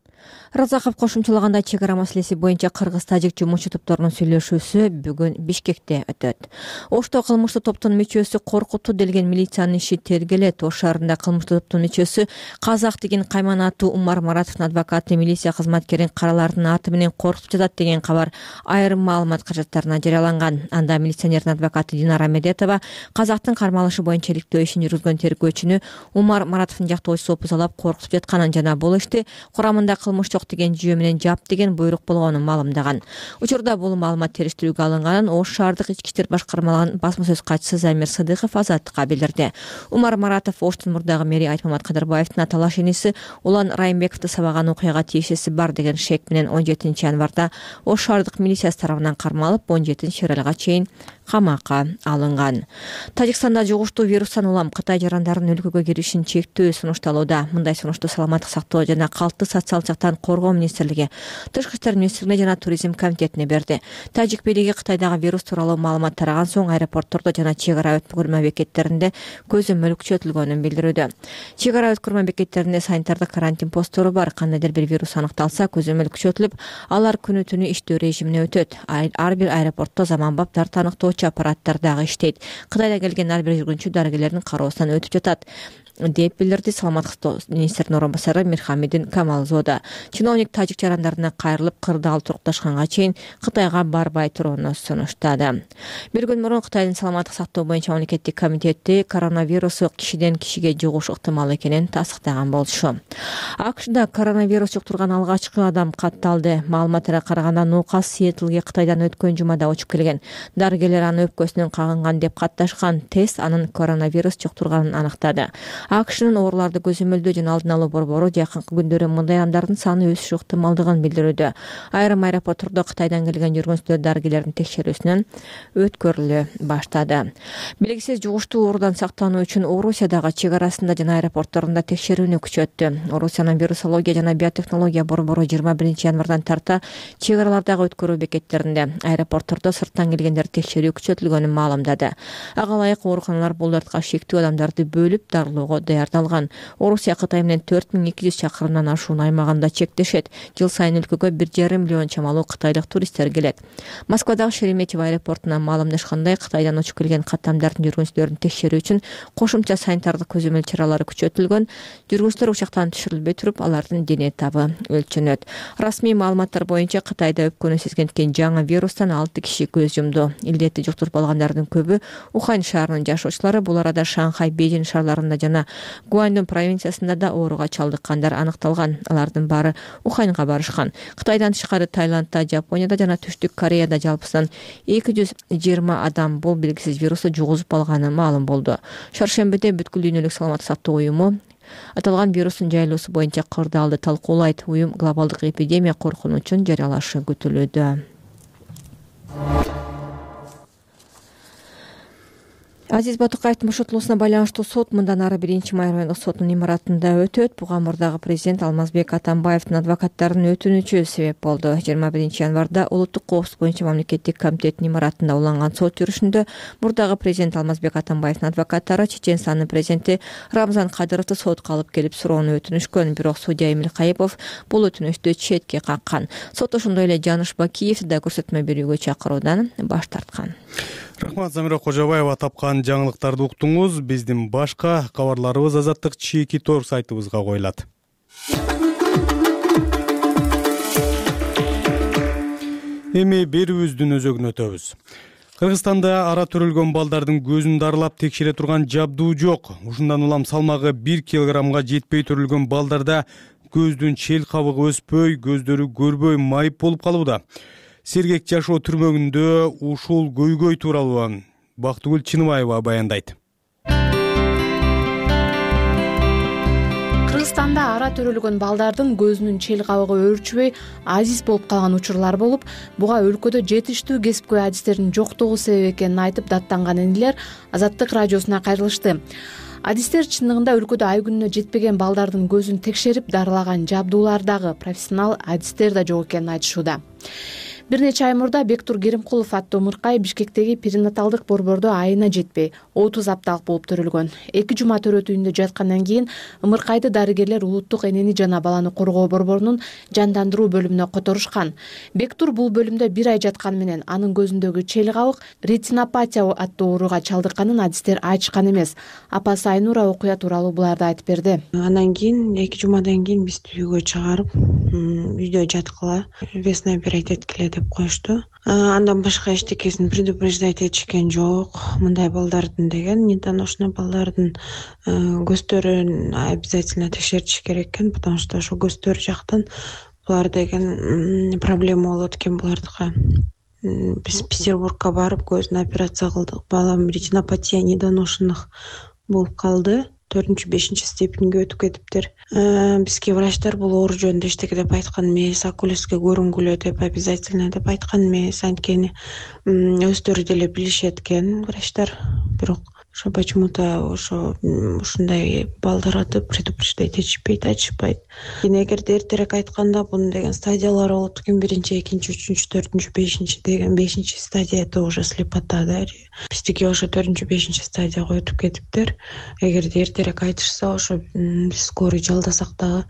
Разаков кошумчалагандай, чек ара маселеси боюнча Кыргыз-Тажик жумушчу топторунун сүйлөшүүсү бүгүн Бишкекте өтөт. Ошто кылмыштуу топтун мүчөсү коркутту делген милициянын иши тергелет. Ош шаарында кылмыштуу топтун мүчөсү Казак деген Кайман аттуу Умар Маратовдун адвокаты милиция кызматкерин каралардын аты менен коркутуп жатат деген кабар айрым маалымат каражаттарына жарыяланган. Анда милиционердин адвокаты Динара Медетова Казактын кармалышы боюнча иликтөө ишин жүргүзгөн тергөөчүнү Умар Маратовдун жактоочусу опузалап коркутуп жатканын жана бул ишти курамында кылмыш деген жүйө менен жап деген буйрук болгонун маалымдаган. Учурда бул маалымат териштирүүгө алынганын Ош шаардык ички иштер башкармалыгынын басма сөз катчысы Замир Сыдыков Азаттыкка билдирди. Умар Маратов Оштун мурдагы мэри Айтмамат Кадырбаевдин аталаш иниси Улан Райымбековду сабаган окуяга тиешеси бар деген шек менен 17 январда Ош шаардык милициясы тарабынан кармалып 17 айга чейин камакка алынган. Тажикстанда жугуштуу вирустан улам Кытай жарандарынын өлкөгө киришин чектөө сунушталууда. Мындай сунушту саламаттык сактоо жана калкты социалдык жактан коргоо министрлиги, Тышкы иштер министрлигине жана туризм комитетине берди. Тажик бийлиги Кытайдагы вирус тууралуу маалымат тараган соң аэропорттордо жана чек ара өткөрмө бекеттеринде көзөмөл күчөтүлгөнүн билдирүүдө. Чек ара өткөрмө бекеттеринде санитардык карантин посттору бар. Кандайдыр бир вирус аныкталса, көзөмөл күчөтүлүп, алар күнү-түнү иштөө режимине өтөт. Ар бир аэропортто заманбап тартаныктоочу аппараттар дагы иштейт. Кытайда келген ар бир жүргүнчү дарыгерлердин кароосунан өтүп жатат деп билдирди саламаттык министринин орун басары Мирхамидин Камалзода. Чиновник тажик жарандарына кайрылып, кырдаал турукташканга чейин Кытайга барбай турууну сунуштады. Бир күн мурун Кытайдын саламаттык сактоо боюнча мамлекеттик комитети коронавирусу кишиден кишиге жугушу ыктымал экенин тасдыктаган болчу. АКШда коронавирус жуктурган алгачкы адам катталды. Маалыматтарга караганда нукас Сиэтлге Кытайдан өткөн жумада учуп келген. Дарыгерлер аны өпкөсүнөн кагынган деп катташкан. Тест анын коронавирус жуктурганын аныктады. АКШнын ооруларды көзөмөлдөө жана алдын алуу борбору жакынкы күндөрү мындай адамдардын саны өсүшү ыктымалдыгын билдирүүдө. Айрым аэропорттордо Кытайдан келген жүргүнчүлөр дарыгерлердин текшерүүсүнөн өткөрүлө баштады. Белгисиз жугуштуу оорудан сактануу үчүн Орусиядагы чек арасында жана аэропортторунда текшерүүнү күчөттү. Орусиянын вирусология жана биотехнология борбору 21 январдан тарта чек аралардагы өткөрүү бекеттеринде, аэропорттордо сырттан келгендерди текшерүү күчөтүлгөнүн маалымдады. Ага ылайык ооруканалар бул дартка шектүү адамдарды бөлүп дарылоого чыгарууга даярдалган. Орусия Кытай менен 4200 чакырымдан ашуун аймагында чектешет. Жыл сайын өлкөгө 1,5 миллион чамалуу кытайлык туристтер келет. Москвадагы Шереметьево аэропортунан маалымдашкандай, Кытайдан учуп келген каттамдардын жүргүнчүлөрүн текшерүү үчүн кошумча санитардык көзөмөл чаралары күчөтүлгөн. Жүргүнчүлөр учактан түшүрүлбөй туруп, алардын дене табы өлчөнөт. Расмий маалыматтар боюнча Кытайда өпкөнү сезгенткен жаңы вирустан 6 киши көз жумду. Илдетти жуктуруп алгандардын көбү Ухань шаарынын жашоочулары. Бул арада Шанхай, Бейжин шаарларында жана Гуандун провинциясында да ооруга чалдыккандар аныкталган. Алардын баары Уханьга барышкан. Кытайдан тышкары Таиландда, Жапонияда жана Түштүк Кореяда жалпысынан 220 адам бул белгисиз вирусту жугузуп алганы маалым болду. Шаршембиде бүткүл дүйнөлүк саламаттык сактоо уюму аталган вирустун жайылуусу боюнча кырдаалды талкуулайт. Уюм глобалдык эпидемия коркунучун жарыялашы күтүлүүдө. Азиз Батукаевдин бошотулуусуна байланыштуу сот мындан ары 1-май райондук сотунун имаратында өтөт. Буга мурдагы президент Алмазбек Атамбаевдин адвокаттарынын өтүнүчү себеп болду. 21 январда Улуттук коопсуздук боюнча мамлекеттик комитеттин имаратында уланган сот жүрүшүндө мурдагы президент Алмазбек Атамбаевдин адвокаттары Чеченстандын президенти Рамзан Кадыровду сотко алып келип суроону өтүнүшкөн. Бирок судья Эмил Кайыпов бул өтүнүштү четке каккан. Сот ошондой эле Жаныш Бакиевди да көрсөтмө берүүгө чакыруудан баш тарткан. Рахмат, Замира Кожобаева. Тапкан жаңылыктарды уктуңуз. Биздин башка кабарларыбыз Азаттык Чекит.org сайтыбызга коюлат. Эми берүүбүздүн өзөгүн өтөбүз. Кыргызстанда ара төрөлгөн балдардын көзүн дарылап текшере турган жабдуу жок. Ушундан улам салмагы 1 килограммга жетпей төрөлгөн балдарда көздүн чел кабыгы өспөй, көздөрү көрбөй майып болуп калууда. Сергек жашоо түрмөгүндө ушул көйгөй тууралуу Бактыгүл Чыныбаева баяндайт. Кыргызстанда ара төрөлгөн балдардын көзүнүн чел кабыгы өөрчүбөй азиз болуп калган учурлар болуп, буга өлкөдө жетиштүү кесипкөй адистердин жоктугу себеп экенин айтып даттанган энелер Азаттык радиосуна кайрылышты. Адистер чындыгында өлкөдө ай күнүнө жетпеген балдардын көзүн текшерип дарылаган жабдуулардагы профессионал адистер да жок экенин айтышууда. Бир нече ай мурда Бектур Керимкулов аттуу ымыркай Бишкектеги перинаталдык борбордо айына жетпей 30 апталык болуп төрөлгөн. 2 жума төрөт үйүндө жаткандан кийин ымыркайды дарыгерлер Улуттук энени жана баланы коргоо борборунун жандандыруу бөлүмүнө которушкан. Бектур бул бөлүмдө 1 ай жатканы менен анын көзүндөгү чел кабык ретинопатия аттуу ооруга чалдыкканын адистер айтышкан эмес. Апасы Айнура окуя тууралуу буларды айтып берди. Андан кийин 2 жумадан кийин бизди үйгө чыгарып, үйдө жаткыла, весна операция эткиле деп коюшту. Андан башка эчтекесин предупреждать этишкен жок. Мындай балдардын деген недоношенный балдардын көздөрүн обязательно текшертиш керек экен, потому что ошо көздөр жактан булар деген проблема болот экен булардыкы. Биз Петербургка барып көзүн операция кылдык. Балам ретинопатия недоношенных болуп калды. 4-5 степенге өтүп кетиптир. Бизге врачтар бул оору жөнүндө эчтеке деп айткан эмес, окулистке көрүнгүлө деп обязательно деп айткан эмес. Анткени өздөрү деле билишет экен врачтар. Бирок ошо почему-то ушундай балдарды предупреждать этишпейт, айтышпайт. Эгерде эртерээк айтканда бунун деген стадиялары болот экен. 1-2, 3, 4, 5 деген 5 стадия это уже слепота да. Биздики ошо 4-5 стадияга өтүп кетиптир. Эгерде эртерээк айтышса, ошо биз скорый жалдасак дагы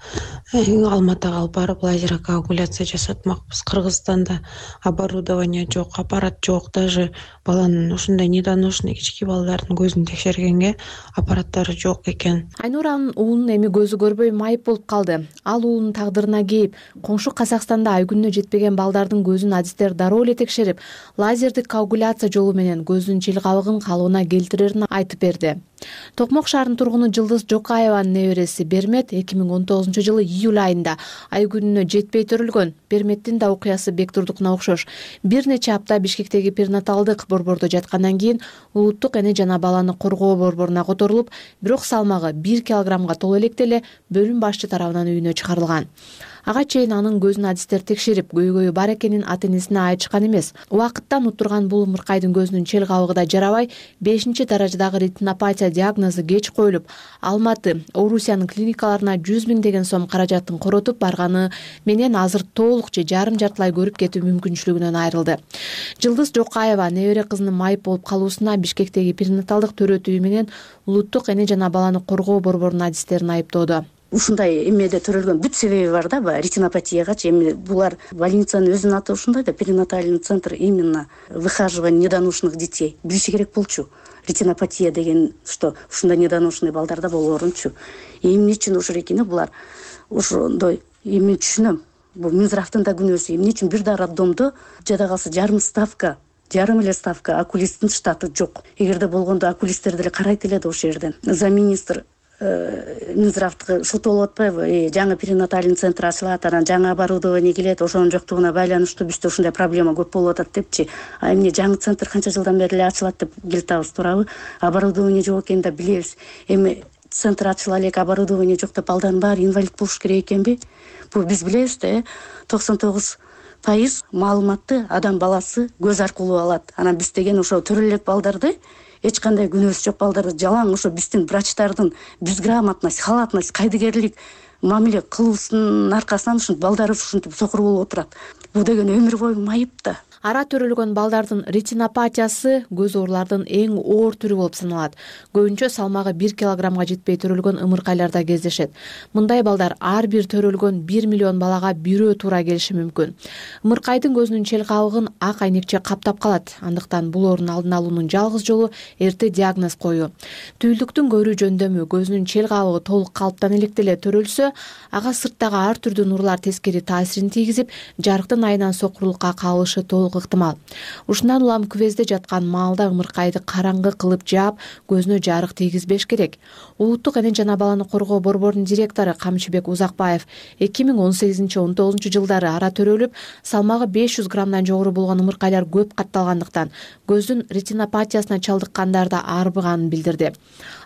Алматыга алып барып лазерокоагуляция жасатмакпыз. Кыргызстанда оборудование жок, аппарат жок. Даже баланын ушундай недоношенный кички балдардын көзүн текшергенге аппараттары жок экен. Айнуранын уулунун эми көзү көрбөй майып болуп калды. Ал уулунун тагдырына кейип, коңшу Казакстанда ай күнүнө жетпеген балдардын көзүн адистер дароо эле текшерип, лазердик коагуляция жолу менен көзүнүн чел кабыгын калыбына келтирерин айтып берди. Токмок шаарынын тургуну Жылдыз Жокаеванын небереси Бермет 2019-жылы июль айында ай күнүнө жетпей төрөлгөн. Берметтин да окуясы Бектурдукуна окшош. Бир нече апта Бишкектеги перинаталдык борбордо жаткандан кийин Улуттук эне жана баланы коргоо борборуна которулуп, бирок салмагы 1 килограммга толо электе эле бөлүм башчы тарабынан үйүнө чыгарылган. Ага чейин анын көзүн адистер текшерип, көйгөйү бар экенин ата энесине айтышкан эмес. Убакыттан утурган бул ымыркайдын көзүнүн чел кабыгы да жарабай, 5-даражадагы ретинопатия диагнозу кеч коюлуп, Алматы, Орусиянын клиникаларына 100 миңдеген сом каражатын коротуп барганы менен азыр толук же жарым-жартылай көрүп кетүү мүмкүнчүлүгүнөн айрылды. Жылдыз Жокаева небере кызынын майып болуп калуусуна Бишкектеги перинаталдык төрөтүү менен Улуттук эне жана баланы коргоо борборунун адистерин айыптоодо. Ушундай эмеде төрөлгөн бүт себеби бар да, ретинопатиягачы. Эми булар больницанын өзүнүн аты ушундай да, перинатальный центр именно выхаживания недоношенных детей. Билиши керек болчу. Ретинопатия деген, что ушундай недоношенный балдарда болоорунчу. Эмне үчүн ушул экени булар ошондой эми түшүнөм. Бул Минздравдын да күнөөсү. Эмне үчүн бир да роддомдо жада калса жарым эле ставка окулисттин штаты жок. Эгерде болгондо окулисттер деле карайт эле да ошол жерден. Замминистр Минздравдыкы шутулуп атпайбы? Жаңы перинатальный центр ачылат, анан жаңы оборудование келет, ошонун жоктугуна байланыштуу бизде ушундай проблема көп болуп атат депчи. А эмне жаңы центр канча жылдан бери эле ачылат деп келтабыз, туурабы? Оборудование жок экенин да билебиз. Эми центр ачыла элек, оборудование жок деп балдардын баары инвалид болуш керек экенби? Бул биз билебиз да, 99% маалыматты адам баласы көз аркылуу алат. Анан биз деген ошо төрө элек балдарды, эч кандай күнөөсү жок балдарды жалаң ошо биздин врачтардын безграмотность, халатность, кайдыгерлик мамиле кылуусунун аркасынан ушинтип балдарыбыз ушинтип сокур болуп отурат. Бул деген өмүр бою майып да. Ара төрөлгөн балдардын ретинопатиясы көз оорулардын эң оор түрү болуп саналат. Көбүнчө салмагы 1 килограммга жетпей төрөлгөн ымыркайларда кездешет. Мындай балдар ар бир төрөлгөн 1 миллион балага бирөө туура келиши мүмкүн. Ымыркайдын көзүнүн чел кабыгын ак айнекче каптап калат. Андыктан бул оорунун алдын алуунун жалгыз жолу эрте диагноз коюу. Түйүлдүктүн көрүү жөндөмү көзүнүн чел кабыгы толук калыптан элек деле төрөлсө, ага сырттагы ар түрдүү нурлар тескери таасирин тийгизип, жарыктын айынан сокурлукка кабылышы толук ыктымал. Ушундан улам күвезде жаткан маалда ымыркайды караңгы кылып жаап, көзүнө жарык тийгизбеш керек. Улуттук эне жана баланы коргоо борборунун директору Камчыбек Узакбаев 2018-19 жылдары ара төрөлүп, салмагы 500 граммдан жогору болгон ымыркайлар көп катталгандыктан көздүн ретинопатиясына чалдыккандарда арбыганын билдирди.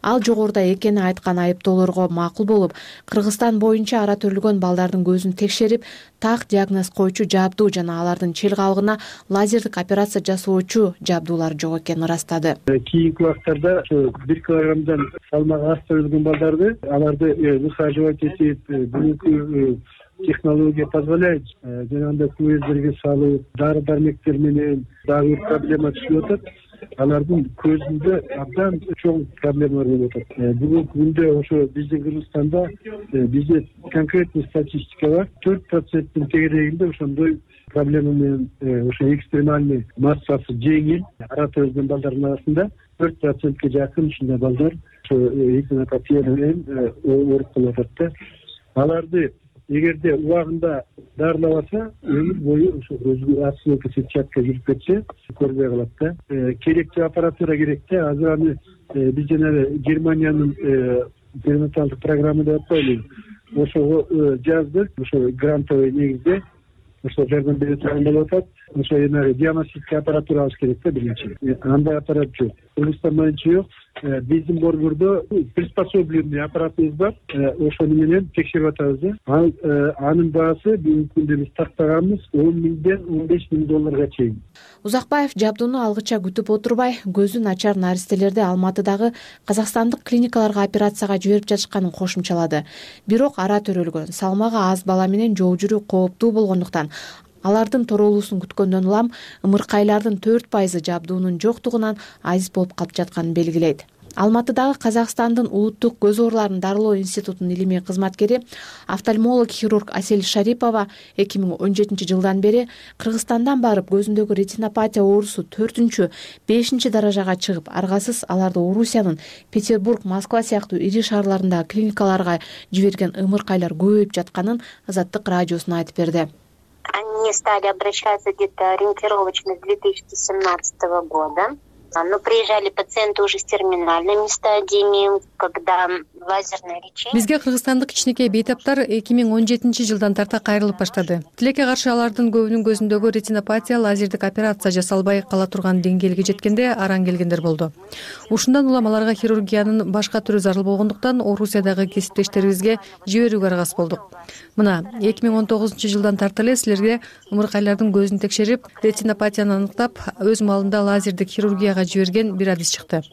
Ал жогоруда экени айткан айыптоолорго макул болуп, Кыргызстан боюнча ара төрөлгөн балдардын көзүн текшерип, так диагноз коючу жабдуу жана алардын чел кабыгына лазердик операция жасоочу жабдуулар жок экенин ырастады. Кийинки убактарда 1 килограммдан салмагы аз төрөлгөн балдарды, аларды выхаживать этип, бүгүнкү технология позволяет жанагындай күвездерге салып, дары-дармектер менен дагы проблема түшүп атат. Алардын көзүндө абдан чоң проблемалар болуп атат. Бүгүнкү күндө ошо биздин Кыргызстанда бизде конкретный статистика бар. 4%-тин тегерегинде ошондой проблема менен ошо экстремальный массасы жеңил ара төрөлгөн балдардын арасында 4%ке жакын ушундай балдар ошо ретинопатия менен ооруп калып атат да. Аларды эгерде убагында дарылабаса, өмүр бою ошо көзгө отсылка сетчатка жүрүп кетсе, көрбөй калат да. Керектүү аппаратура керек да. Азыр аны биз жана Германиянын перинаталдык программа деп атпайлыбы? Ошого жаздык, ошо грантовый негизде ошо жардам бере турган болуп атат. Ошо диагностика аппаратура алыш керек да биринчи. Андай аппарат жок. Кыргызстан боюнча жок. Биздин борбордо приспособленный аппаратыбыз бар. Ошону менен текшерип атабыз да. Анын баасы бүгүнкү күндө биз тактаганбыз 10 миңден 15 миң долларга чейин. Узакбаев жабдууну алгыча күтүп отурбай, көзү начар наристелерди Алматыдагы казакстандык клиникаларга операцияга жиберип жатышканын кошумчалады. Бирок ара төрөлгөн, салмагы аз бала менен жол жүрүү кооптуу болгондуктан алардын торолуусун күткөндөн улам ымыркайлардын 4% жабдуунун жоктугунан азиз болуп калып жатканын белгилейт. Алматыдагы Казакстандын улуттук көз ооруларын дарылоо институтунун илимий кызматкери офтальмолог-хирург Асель Шарипова 2017 жылдан бери Кыргызстандан барып көзүндөгү ретинопатия оорусу 4-5 даражага чыгып, аргасыз аларды Орусиянын Петербург, Москва сыяктуу ири шаарларындагы клиникаларга жиберген ымыркайлар көбөйүп жатканын Азаттык радиосуна айтып берди. Они стали обращаться где-то ориентировочно с 2017 года. Но приезжали пациенты уже с терминальными стадиями, когда лазерное лечение. Бизге кыргызстандык кичинекей бейтаптар 2017-жылдан тарта кайрылып баштады. Тилекке каршы алардын көбүнүн көзүндөгү ретинопатия лазердик операция жасалбай кала турган деңгээлге жеткенде араң келгендер болду. Ушундан улам аларга хирургиянын башка түрү зарыл болгондуктан Орусиядагы кесиптештерибизге жиберүүгө аргасыз болдук. Мына 2019-жылдан тарта эле силерге ымыркайлардын көзүн текшерип, ретинопатияны аныктап, өз маалында лазердик хирургияга жиберген бир адис чыкты.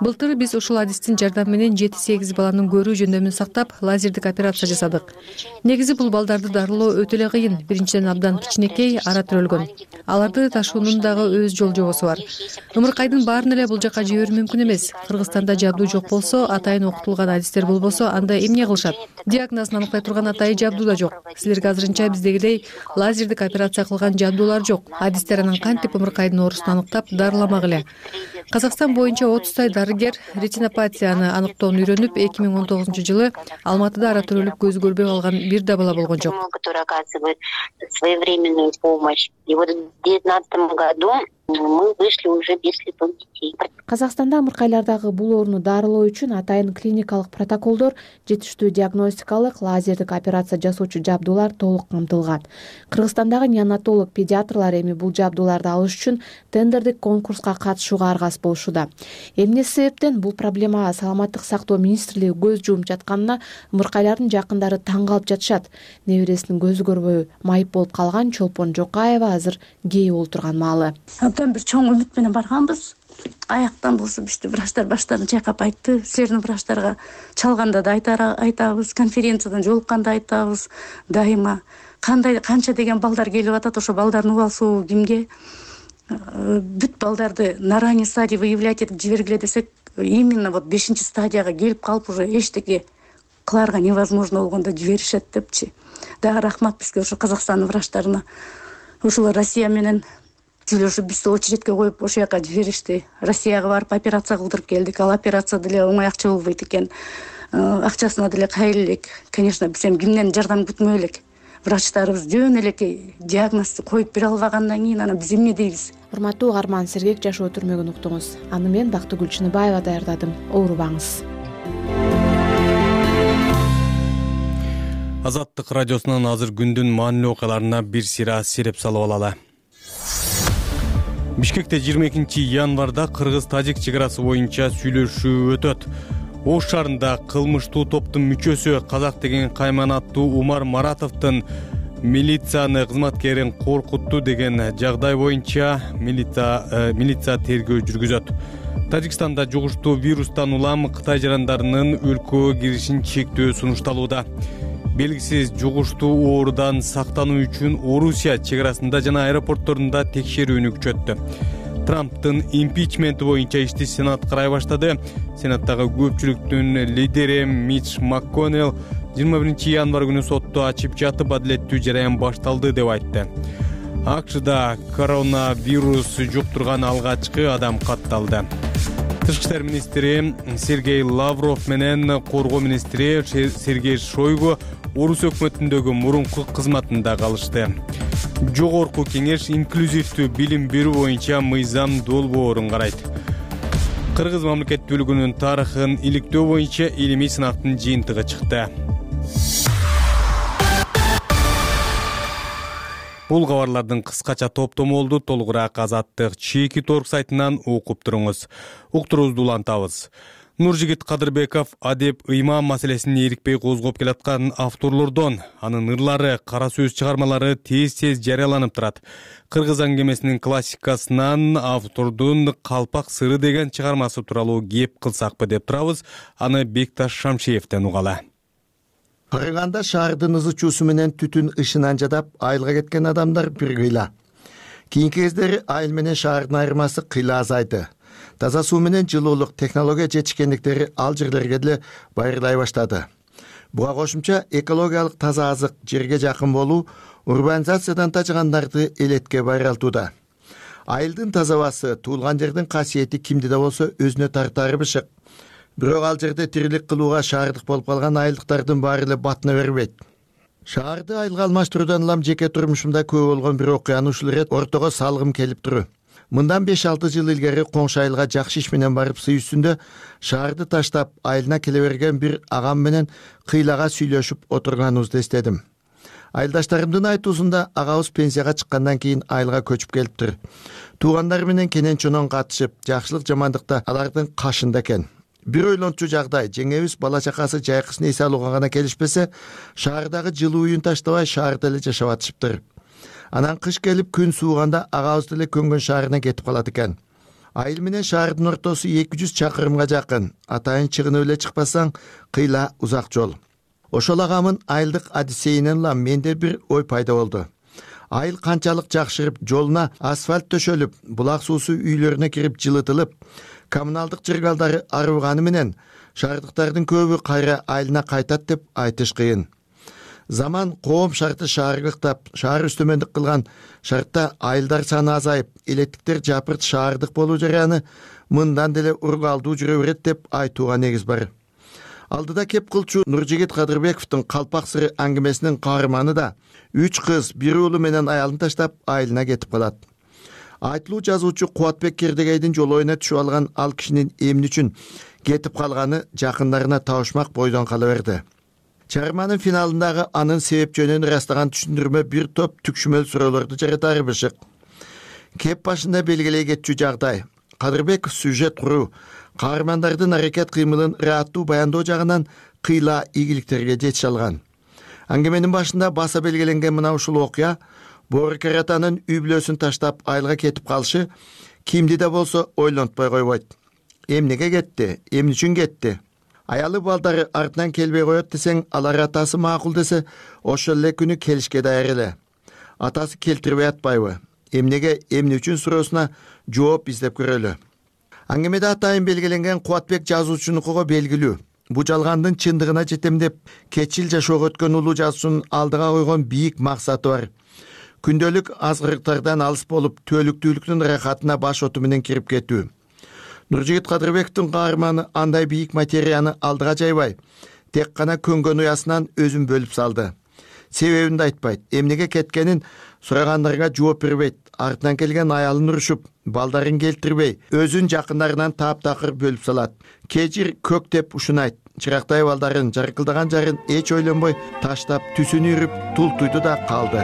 Былтыр биз ушул адистин жардамы менен 7-8 баланын көрүү жөндөмүн сактап, лазердик операция жасадык. Негизи бул балдарды дарылоо өтө эле кыйын. Биринчиден абдан кичинекей, ара төрөлгөн. Аларды ташуунун дагы өз жол жобосу бар. Ымыркайдын баарын эле бул жака жиберүү мүмкүн эмес. Кыргызстанда жабдуу жок болсо, атайын окутулган адистер болбосо, анда эмне кылышат? Диагнозун аныктай турган атайын жабдуу да жок. Силерге азырынча биздегидей лазердик операция кылган жабдуулар жок. Адистер анан кантип ымыркайдын оорусун аныктап, дарыламак эле? Казакстан боюнча 30 дарыгер ретинопатияны аныктоону үйрөнүп, 2019-жылы Алматыда ара төрөлүп көзү көрбөй калган бир да бала болгон жок. Который оказывает своевременную помощь. И вот в 2019 году мы вышли уже без слепых детей. Казакстанда ымыркайлардагы бул ооруну дарылоо үчүн атайын клиникалык протоколдор, жетиштүү диагностикалык, лазердик операция жасоочу жабдуулар толук камтылган. Кыргызстандагы неонатолог педиатрлар эми бул жабдууларды алыш үчүн тендердик конкурска катышууга аргасыз болушууда. Эмне себептен бул проблемага саламаттык сактоо министрлиги көз жумуп жатканына ымыркайлардын жакындары таң калып жатышат. Небересинин көзү көрбөй майып болуп калган Чолпон Жокаева азыр кээ болуп турган маалы. Абдан бир чоң үмүт менен барганбыз. Аяктан болсо бизди врачтар баштарын чайкап айтты. Силердин врачтарга чалганда да айтабыз, конференциядан жолукканда айтабыз. Дайыма канча деген балдар келип атат, ошо балдардын убалсуу кимге? Бүт балдарды на ранний стадии выявлять этип жибергиле десек, именно вот 5-стадияга келип калып уже эчтеке кыларга невозможно болгондо жиберишет депчи. Дагы рахмат бизге ошо Казакстандын врачтарына. Ушул Россия менен сүйлөшүп бизди очередке коюп ошол жака жиберишти. Россияга барып операция кылдырып келдик. Ал операция деле оңой акча болбойт экен. Акчасына деле кайрыл элек. Конечно, биз эми кимден жардам күтмөй элек. Врачтарыбыз жөн элекей диагнозду коюп бере албагандан кийин анан биз эмне дейбиз? Урматтуу угарман, Сергек жашоо түрмөгүн уктуңуз. Аны мен Бактыгүл Чыныбаева даярдадым. Оорубаңыз. Азаттык радиосунан азыр күндүн маанилүү окуяларына бир сыйра сереп салып алалы. Бишкекте 22 январда кыргыз-тажик чек арасы боюнча сүйлөшүү өтөт. Ош шаарында кылмыштуу топтун мүчөсү Казак деген кайман аттуу Умар Маратовдун милицияны кызматкерин коркутту деген жагдай боюнча милиция тергөө жүргүзөт. Тажикстанда жугуштуу вирустан улам Кытай жарандарынын өлкөгө киришин чектөө сунушталууда. Белгисиз жугуштуу оорудан сактануу үчүн Орусия чек арасында жана аэропортторунда текшерүүнү күчөттү. Трамптын импичменти боюнча ишти Сенат карай баштады. Сенаттагы көпчүлүктүн лидери Митч МакКоннелл 21 январ күнү сотту ачып жатып адилеттүү жараян башталды деп айтты. АКШда коронавирус жуктурган алгачкы адам катталды. Тышкы иштер министри Сергей Лавров менен коргоо министри Сергей Шойгу Орус өкмөтүндөгү мурунку кызматында калышты. Жогорку кеңеш инклюзивдүү билим берүү боюнча мыйзам долбоорун карайт. Кыргыз мамлекеттүүлүгүнүн тарыхын иликтөө боюнча илимий сынактын жыйынтыгы чыкты. Бул кабарлардын кыскача топтому болду. Толугураак Азаттык Чекит.org сайтынан окуп туруңуз. Уктуруубузду улантабыз. Нуржигит Кадырбеков адеп ыйман маселесин эрикпей козгоп келаткан авторлордон. Анын ырлары, кара сөз чыгармалары тез жарыяланып турат. Кыргыз аңгемесинин классикасынан автордун Калпак сыры деген чыгармасы тууралуу кеп кылсакпы деп турабыз. Аны Бекташ Шамшиевден угалы. Кырганда шаардын ызы чуусу менен түтүн ышынан жадап, айылга кеткен адамдар бир кыйла. Кийинки кездери айыл менен шаардын айырмасы кыйла азайды. Таза суу менен жылуулук технология жетишкендиктери ал жерлерге деле байырлай баштады. Буга кошумча экологиялык таза азык, жерге жакын болуу урбанизациядан тажыгандарды элетке байралтууда. Айылдын таза абасы, туулган жердин касиети кимди да болсо өзүнө тартаары бышык. Бирок ал жерде тирилик кылууга шаардык болуп калган айылдыктардын баары эле батына бербейт. Шаарды айылга алмаштыруудан улам жеке турмушумда көп болгон бир окуяны ушул ирет ортого салгым келип туру. Мындан 5-6 жыл илгери коңшу айылга жакшы иш менен барып сый үстүндө шаарды таштап айылына келе берген бир агам менен кыйлага сүйлөшүп отурганыбызды эстедим. Айылдаштарымдын айтуусунда агабыз пенсияга чыккандан кийин айылга көчүп келиптир. Туугандары менен кенен чонон катышып, жакшылык жамандыкта алардын кашында экен. Бир ойлончу жагдай, жеңебиз бала чакасы жайкысын эс алууга гана келишпесе, шаардагы жылуу үйүн таштабай шаарда эле жашап атышыптыр. Анан кыш келип күн сууганда агабыз деле көнгөн шаарына кетип калат экен. Айыл менен шаардын ортосу 200 чакырымга жакын. Атайын чыгынып эле чыкпасаң, кыйла узак жол. Ошол агамын айылдык адисейинен улам менде бир ой пайда болду. Айыл канчалык жакшырып, жолуна асфальт төшөлүп, булак суусу үйлөрүнө кирип жылытылып, коммуналдык жыргалдары арыганы менен шаардыктардын көбү кайра айылына кайтат деп айтыш кыйын. Заман коом шарты шаарылыктап, шаар үстөмөндүк кылган шартта айылдар саны азайып, элеттиктер жапырт шаардык болуу жараяны мындан деле ургалдуу жүрө берет деп айтууга негиз бар. Алдыда кеп кылчу Нуржигит Кадырбековдун Калпак сыры аңгемесинин каарманы да 3 кыз, 1 уулу менен аялын таштап айылына кетип калат. Айтылуу жазуучу Кубатбек Кердегейдин жолоюна түшүп алган ал кишинин эмне үчүн кетип калганы жакындарына табышмак бойдон кала берди. Чыгарманын финалындагы анын себеп жөнүн ырастаган түшүндүрмө бир топ түкшүмөл суроолорду жаратары бышык. Кеп башында белгилей кетчү жагдай. Кадырбеков сюжет куруу, каармандардын аракет кыймылын ыраттуу баяндоо жагынан кыйла ийгиликтерге жетише алган. Аңгеменин башында баса белгиленген мына ушул окуя Боору Каратанын үй бүлөсүн таштап айылга кетип калышы кимди да болсо ойлонтпой койбойт. Эмнеге кетти? Эмне үчүн кетти? Аялы балдары артынан келбей коет десең, алар атасы макул десе, ошол эле күнү келишке даяр эле. Атасы келтирбей атпайбы? Эмнеге, эмне үчүн суроосуна жооп издеп көрөлү. Аңгемеде атайын белгиленген Кубатбек жазуучунукуга белгилүү. Бу жалгандын чындыгына жетем деп кетчил жашоого өткөн улуу жазуучунун алдыга койгон бийик максаты бар. Күндөлүк азгырыктардан алыс болуп, түөлүктүүлүктүн рахатына баш оту менен кирип кетүү. Нуржигит Кадырбековдун каарманы андай бийик материяны алдыга жайбай, тек гана көнгөн уясынан өзүн бөлүп салды. Себебин да айтпайт, эмнеге кеткенин сурагандарга жооп бербейт. Артынан келген аялын урушуп, балдарын келтирбей, өзүн жакындарынан таптакыр бөлүп салат. Кежир көк деп ушунайт. Чырактай балдарын, жаркылдаган жарын эч ойлонбой таштап, түсүн үрүп, тултуйду да калды.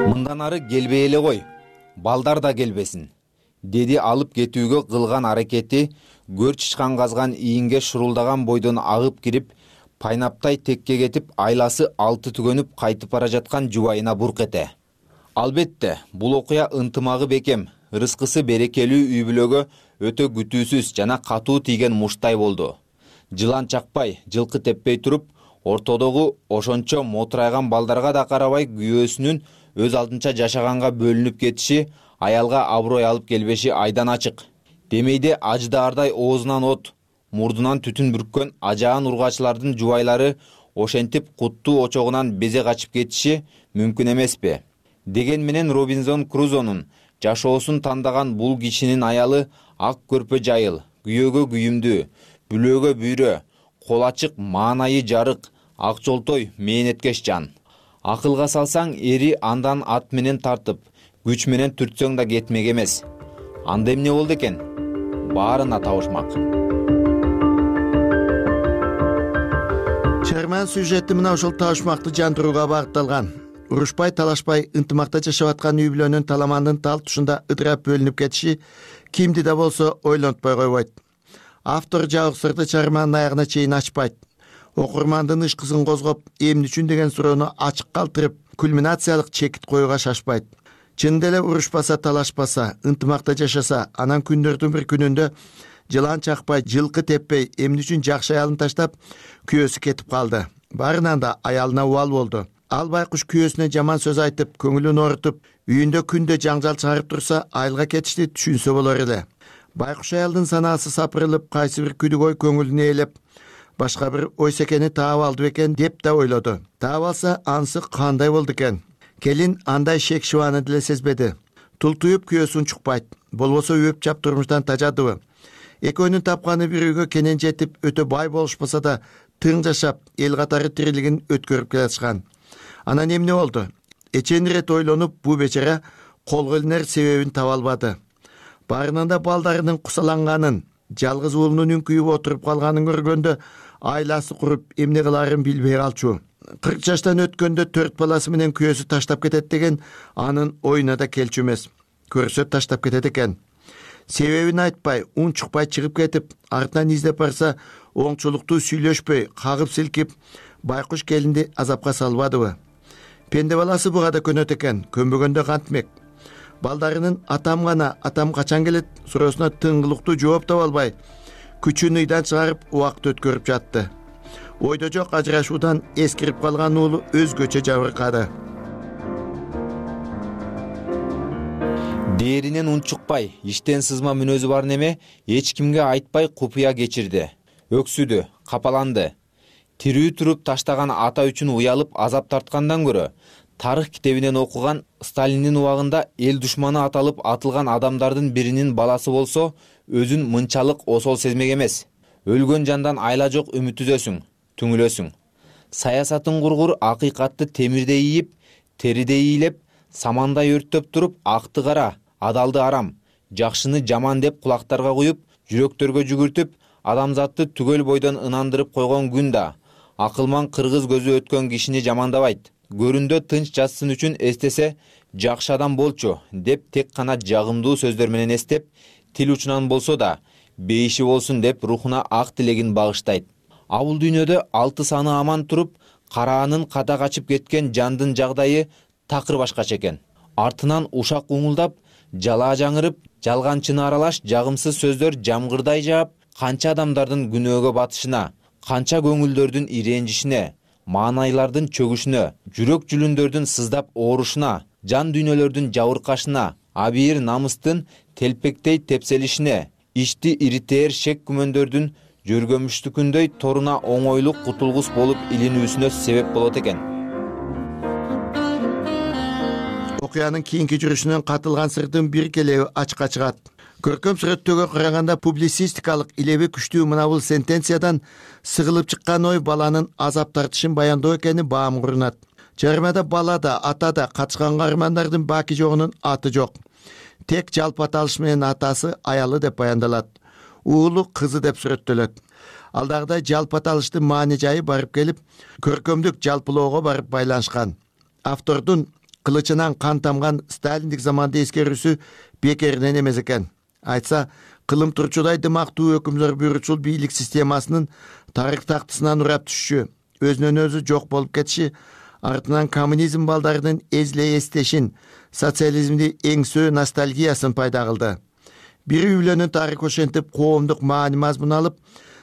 Мындан ары келбей эле кой, балдар да келбесин, деди алып кетүүгө кылган аракети көр чычкан казган ийинге шурулдаган бойдон агып кирип, пайнаптай текке кетип, айласы алты түгөнүп кайтып бара жаткан жубайына бурк эте. Албетте, бул окуя ынтымагы бекем, рыскысы берекелүү үй бүлөгө өтө күтүүсүз жана катуу тийген муштай болду. Жылан чакпай, жылкы теппей туруп, ортодогу ошончо мотурайган балдарга да карабай күйөөсүнүн өз алдынча жашаганга бөлүнүп кетиши, аялга аброй алып келбеши айдан ачык. Демейде аждаардай оозунан от, мурдунан түтүн бүрккөн ажаан ургачылардын жубайлары ошентип куттуу очогунан безе качып кетиши мүмкүн эмеспи? Деген менен Робинзон Крузонун жашоосун тандаган бул кишинин аялы ак көрпө жайыл, күйөөгө күйүмдүү, бүлөөгө бүйрө, кол ачык, маанайы жарык, ак жолтой, мээнеткеч жан. Акылга салсаң, эри андан ат менен тартып, күч менен түртсөң да кетмек эмес. Анда эмне болду экен? Баарына табышмак. Чыгарманын сюжети мына ошол табышмакты жандырууга багытталган. Урушпай, талашпай, ынтымакта жашап аткан үй бүлөнүн таламандын тал тушунда ыдырап бөлүнүп кетиши кимди да болсо ойлонтпой койбойт. Автор жабык сырды чыгарманын аягына чейин ачпайт. Окурмандын ышкысын козгоп, эмне үчүн деген суроону ачык калтырып, кульминациялык чекит коюуга шашпайт. Чын деле урушпаса, талашпаса, ынтымакта жашаса, анан күндөрдүн бир күнүндө жылан чакпай, жылкы теппей, эмне үчүн жакшы аялын таштап, күйөөсү кетип калды. Барынан да аялына убал болду. Ал байкуш күйөөсүнө жаман сөз айтып, көңүлүн оорутуп, үйүндө күндө жаңжал чыгарып турса, айылга кетишти түшүнсө болор эле. Байкуш аялдын санаасы сапырылып, кайсы бир күдүк ой көңүлүнө ээлеп, башка бир ой секени таап алды бекен деп да ойлоду. Таап алса, анысы кандай болду экен? Келин андай шек шыбаны деле сезбеди. Тултуюп күйөөсүн чукпайт, болбосо үйөп чап турмуштан тажадыбы? Экөөнүн тапканы бир үйгө кенен жетип, өтө бай болушпаса да, тың жашап, эл катары тирилигин өткөрүп келатышкан. Анан эмне болду? эчен ирет ойлонуп бул бечара колго илинер себебин таба албады. Баарынан да балдарынын кусаланганын, жалгыз уулунун үңкүйүп отуруп калганын көргөндө айласы куруп эмне кылаарын билбей калчу. 40 жаштан өткөндө 4 баласы менен күйөөсү таштап кетет деген анын оюна да келчү эмес. Көрсө таштап кетет экен. Себебин айтпай, унчукпай чыгып кетип, артынан издеп барса, оңчулуктуу сүйлөшпөй, кагып силкип, байкуш келинди азапка салбадыбы? Пенде баласы буга да көнөт экен, көнбөгөндө кантмек. Балдарынын атам качан келет суроосуна тыңгылыктуу жооп таба албай, күчүн ыйдан чыгарып убакыт өткөрүп жатты. Ойдо жок ажырашуудан эскирип калган уулу өзгөчө жабыркады. Дээринен унчукпай, иштен сызма мүнөзү бар неме эч кимге айтпай купуя кечирди. Өксүдү, капаланды. Тирүү туруп таштаган ата үчүн уялып азап тарткандан көрө, тарых китебинен окуган Сталиндин убагында эл душманы аталып атылган адамдардын биринин баласы болсо, өзүн мынчалык осол сезмек эмес. Өлгөн жандан айла жок үмүт үзөсүң, түңүлөсүң. Саясатын кургур акыйкатты темирде ийип, териде ийилеп, самандай өрттөп туруп, акты кара, адалды арам, жакшыны жаман деп кулактарга куюп, жүрөктөргө жүгүртүп, адамзатты түгөл бойдон ынандырып койгон күн да акылман кыргыз көзү өткөн кишини жамандабайт. Көрүндө тынч жатсын үчүн эстесе, жакшы адам болчу деп тек гана жагымдуу сөздөр менен эстеп, тил учунан болсо да бейиши болсун деп рухуна ак тилегин багыштайт. Абул дүйнөдө 6 саны аман туруп, караанын ката качып кеткен жандын жагдайы такыр башкача экен. Артынан ушак уңулдап, жалаа жаңырып, жалганчыны аралаш жагымсыз сөздөр жамгырдай жаап, канча адамдардын күнөөгө батышына, канча көңүлдөрдүн иренжишине, маанайлардын чөгүшүнө, жүрөк жүлүндөрдүн сыздап оорушуна, жан дүйнөлөрдүн жабыркашына, абийир намыстын телпектей тепселишине, ичти иритээр шек күмөндөрдүн жөргөмүштүкүндөй торуна оңойлук кутулгус болуп илинүүсүнө себеп болот экен. Окуянын кийинки жүрүшүнөн катылган сырдын бир келеби ачыкка чыгат. Көркөм сүрөттөгө караганда публицистикалык илеби күчтүү мына бул сентенциядан сыгылып чыккан ой баланын азап тартышын баяндоо экени баам курунат. Жарымада бала да, ата да катышкан каармандардын баки жогунун аты жок. Тек жалпы аталыш менен атасы, аялы деп баяндалат. Уулу, кызы деп сүрөттөлөт. Алдагыдай жалпы аталыштын маани жайы барып келип, көркөмдүк жалпылоого барып байланышкан. Автордун кылычынан кан тамган сталиндик заманды эскерүүсү бекеринен эмес экен. Айтса, кылым турчудай дымактуу өкүмдөр буйручул бийлик системасынын тарых тактысынан урап түшүшү, өзүнөн өзү жок болуп кетиши, артынан коммунизм балдарынын эзле эстешин, социализмди эңсөө ностальгиясын пайда кылды. Бир үйлөнүн тарыхы ошентип коомдук маани мазмун алып,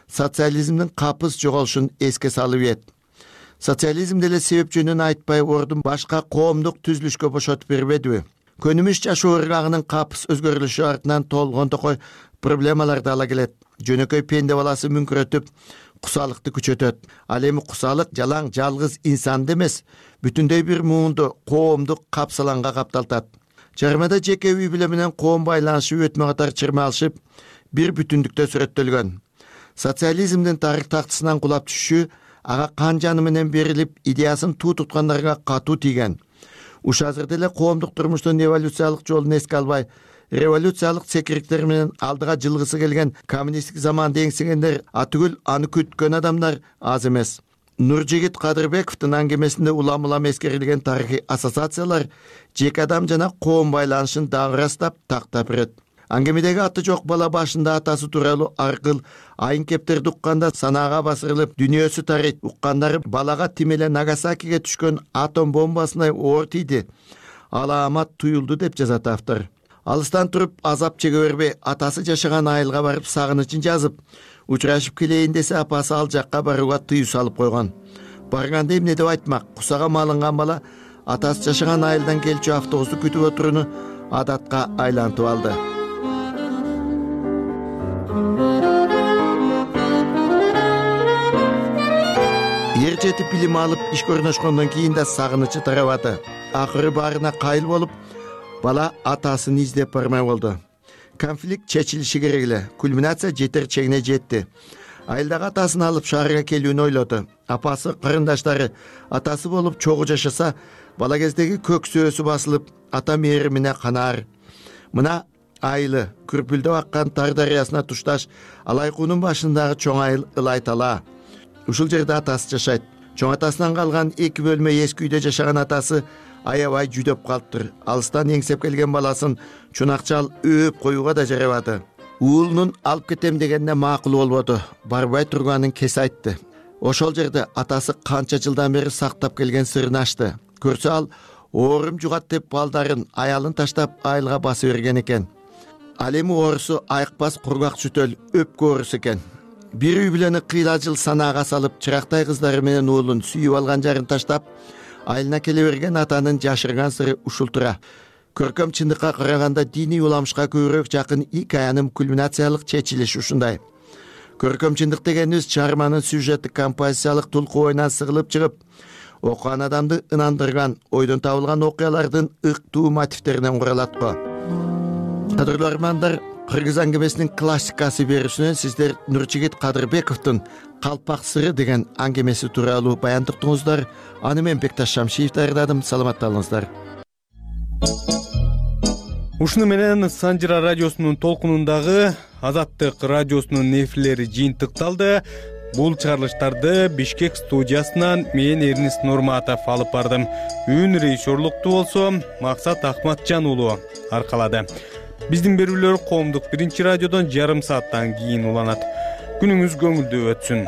социализмдин капыс жоголушун эске салып ийет. Социализм деле себеп жөнүн айтпай ордун башка коомдук түзүлүшкө бошотуп бербедиби? Көнүмүш жашоо ыргагынын капыс өзгөрүлүшү артынан толгон токой проблемалар да ала келет. Жөнөкөй пенде баласы мүңкүрөтүп, кусалыкты күчөтөт. Ал эми кусалык жалаң жалгыз инсанды эмес, бүтүндөй бир муунду коомдук капсаланга капталтат. Жарымада жеке үй бүлө менен коом байланышы өтмө катар чырмалышып, бир бүтүндүктө сүрөттөлгөн. Социализмдин тарых тактысынан кулап түшүшү ага кан жаны менен берилип, идеясын туу туткандарга катуу тийген. Ушазыр деле коомдук турмуштун эволюциялык жолун эске албай, революциялык секириктер менен алдыга жылгысы келген коммунисттик заманды эңсегендер, атүгүл аны күткөн адамдар аз эмес. Нуржигит Кадырбековдун аңгемесинде улам-улам эскерилген тарыхый ассоциациялар жеке адам жана коом байланышын дагы ырастап, тактап берет. Аңгемедеги аты жок бала башында атасы тууралуу аркыл айын кептерди укканда санаага басырылып, дүйнөсү тарыйт. Уккандары балага тим эле Нагасакиге түшкөн атом бомбасындай оор тийди. Алаамат туюлду деп жазат автор. Алыстан туруп азап чеге бербей, атасы жашаган айылга барып сагынычын жазып, учурашып келейин десе апасы ал жакка барууга тыюу салып койгон. Барганда эмне деп айтмак? Кусага малынган бала атасы жашаган айылдан келчү автобусту күтүп отурууну адатка айлантып алды. Ер жетип билим алып ишке орношкондон кийин да сагынычы тарабады. Акыры баарына кайыл болуп, бала атасын издеп бармай болду. Конфликт чечилиши керек эле. Кульминация жетер чегине жетти. Айылдагы атасын алып шаарга келүүнү ойлоду. Апасы, кырындаштары атасы болуп чогуу жашаса, бала кездеги көк сөөсү басылып ата мээримине канаар. Мына айылы күрпүлдөп аккан Тар дарыясына тушташ Алайкуунун башындагы чоң айыл Ылай тала. Ушул жерде атасы жашайт. Чоң атасынан калган 2 бөлмө эски үйдө жашаган атасы аябай жүдөп калыптыр. Алыстан эңсеп келген баласын чунакчал өөп коюуга да жарабады. Уулунун алып кетем дегенине макул болбоду. Барбай турганын кесе айтты. Ошол жерде атасы канча жылдан бери сактап келген сырын ачты. Көрсө ал оорум жугат деп балдарын, аялын таштап айылга басып берген экен. Ал эми оорусу айыкпас кургак чүтөл өпкө оорусу экен. Бир үй бүлөнү кыйла жыл санаага салып, чырактай кыздары менен уулун сүйүп алган жарын таштап, айылына келе берген атанын жашырган сыры ушул тура. Көркөм чындыкка караганда диний уламышка көбүрөөк жакын икаянын кульминациялык чечилиши ушундай. Көркөм чындык дегенибиз чыгарманын сюжеттик композициялык тулку оюнан сыгылып чыгып, окуган адамды ынандырган, ойдон табылган окуялардын ыктуу мотивтеринен куралат го. Кадырлуу армандар, Кыргыз аңгемесинин классикасы берүүсүнөн сиздер Нурчигит Кадырбековдун Калпак сыры деген аңгемеси тууралуу баян уктуңуздар. Аны мен Бекташ Шамшиев даярдадым. Саламатталыңыздар. Ушуну менен Санжыра радиосунун толкунундагы Азаттык радиосунун эфирлери жыйынтыкталды. Бул чыгарылыштарды Бишкек студиясынан мен Эрнис Нурматов алып бардым. Үн режиссерлукту болсо Максат Ахматжан уулу аркалады. Биздин берүүлөр коомдук биринчи радиодон жарым сааттан кийин уланат. Күнүңүз көңүлдүү өтсүн.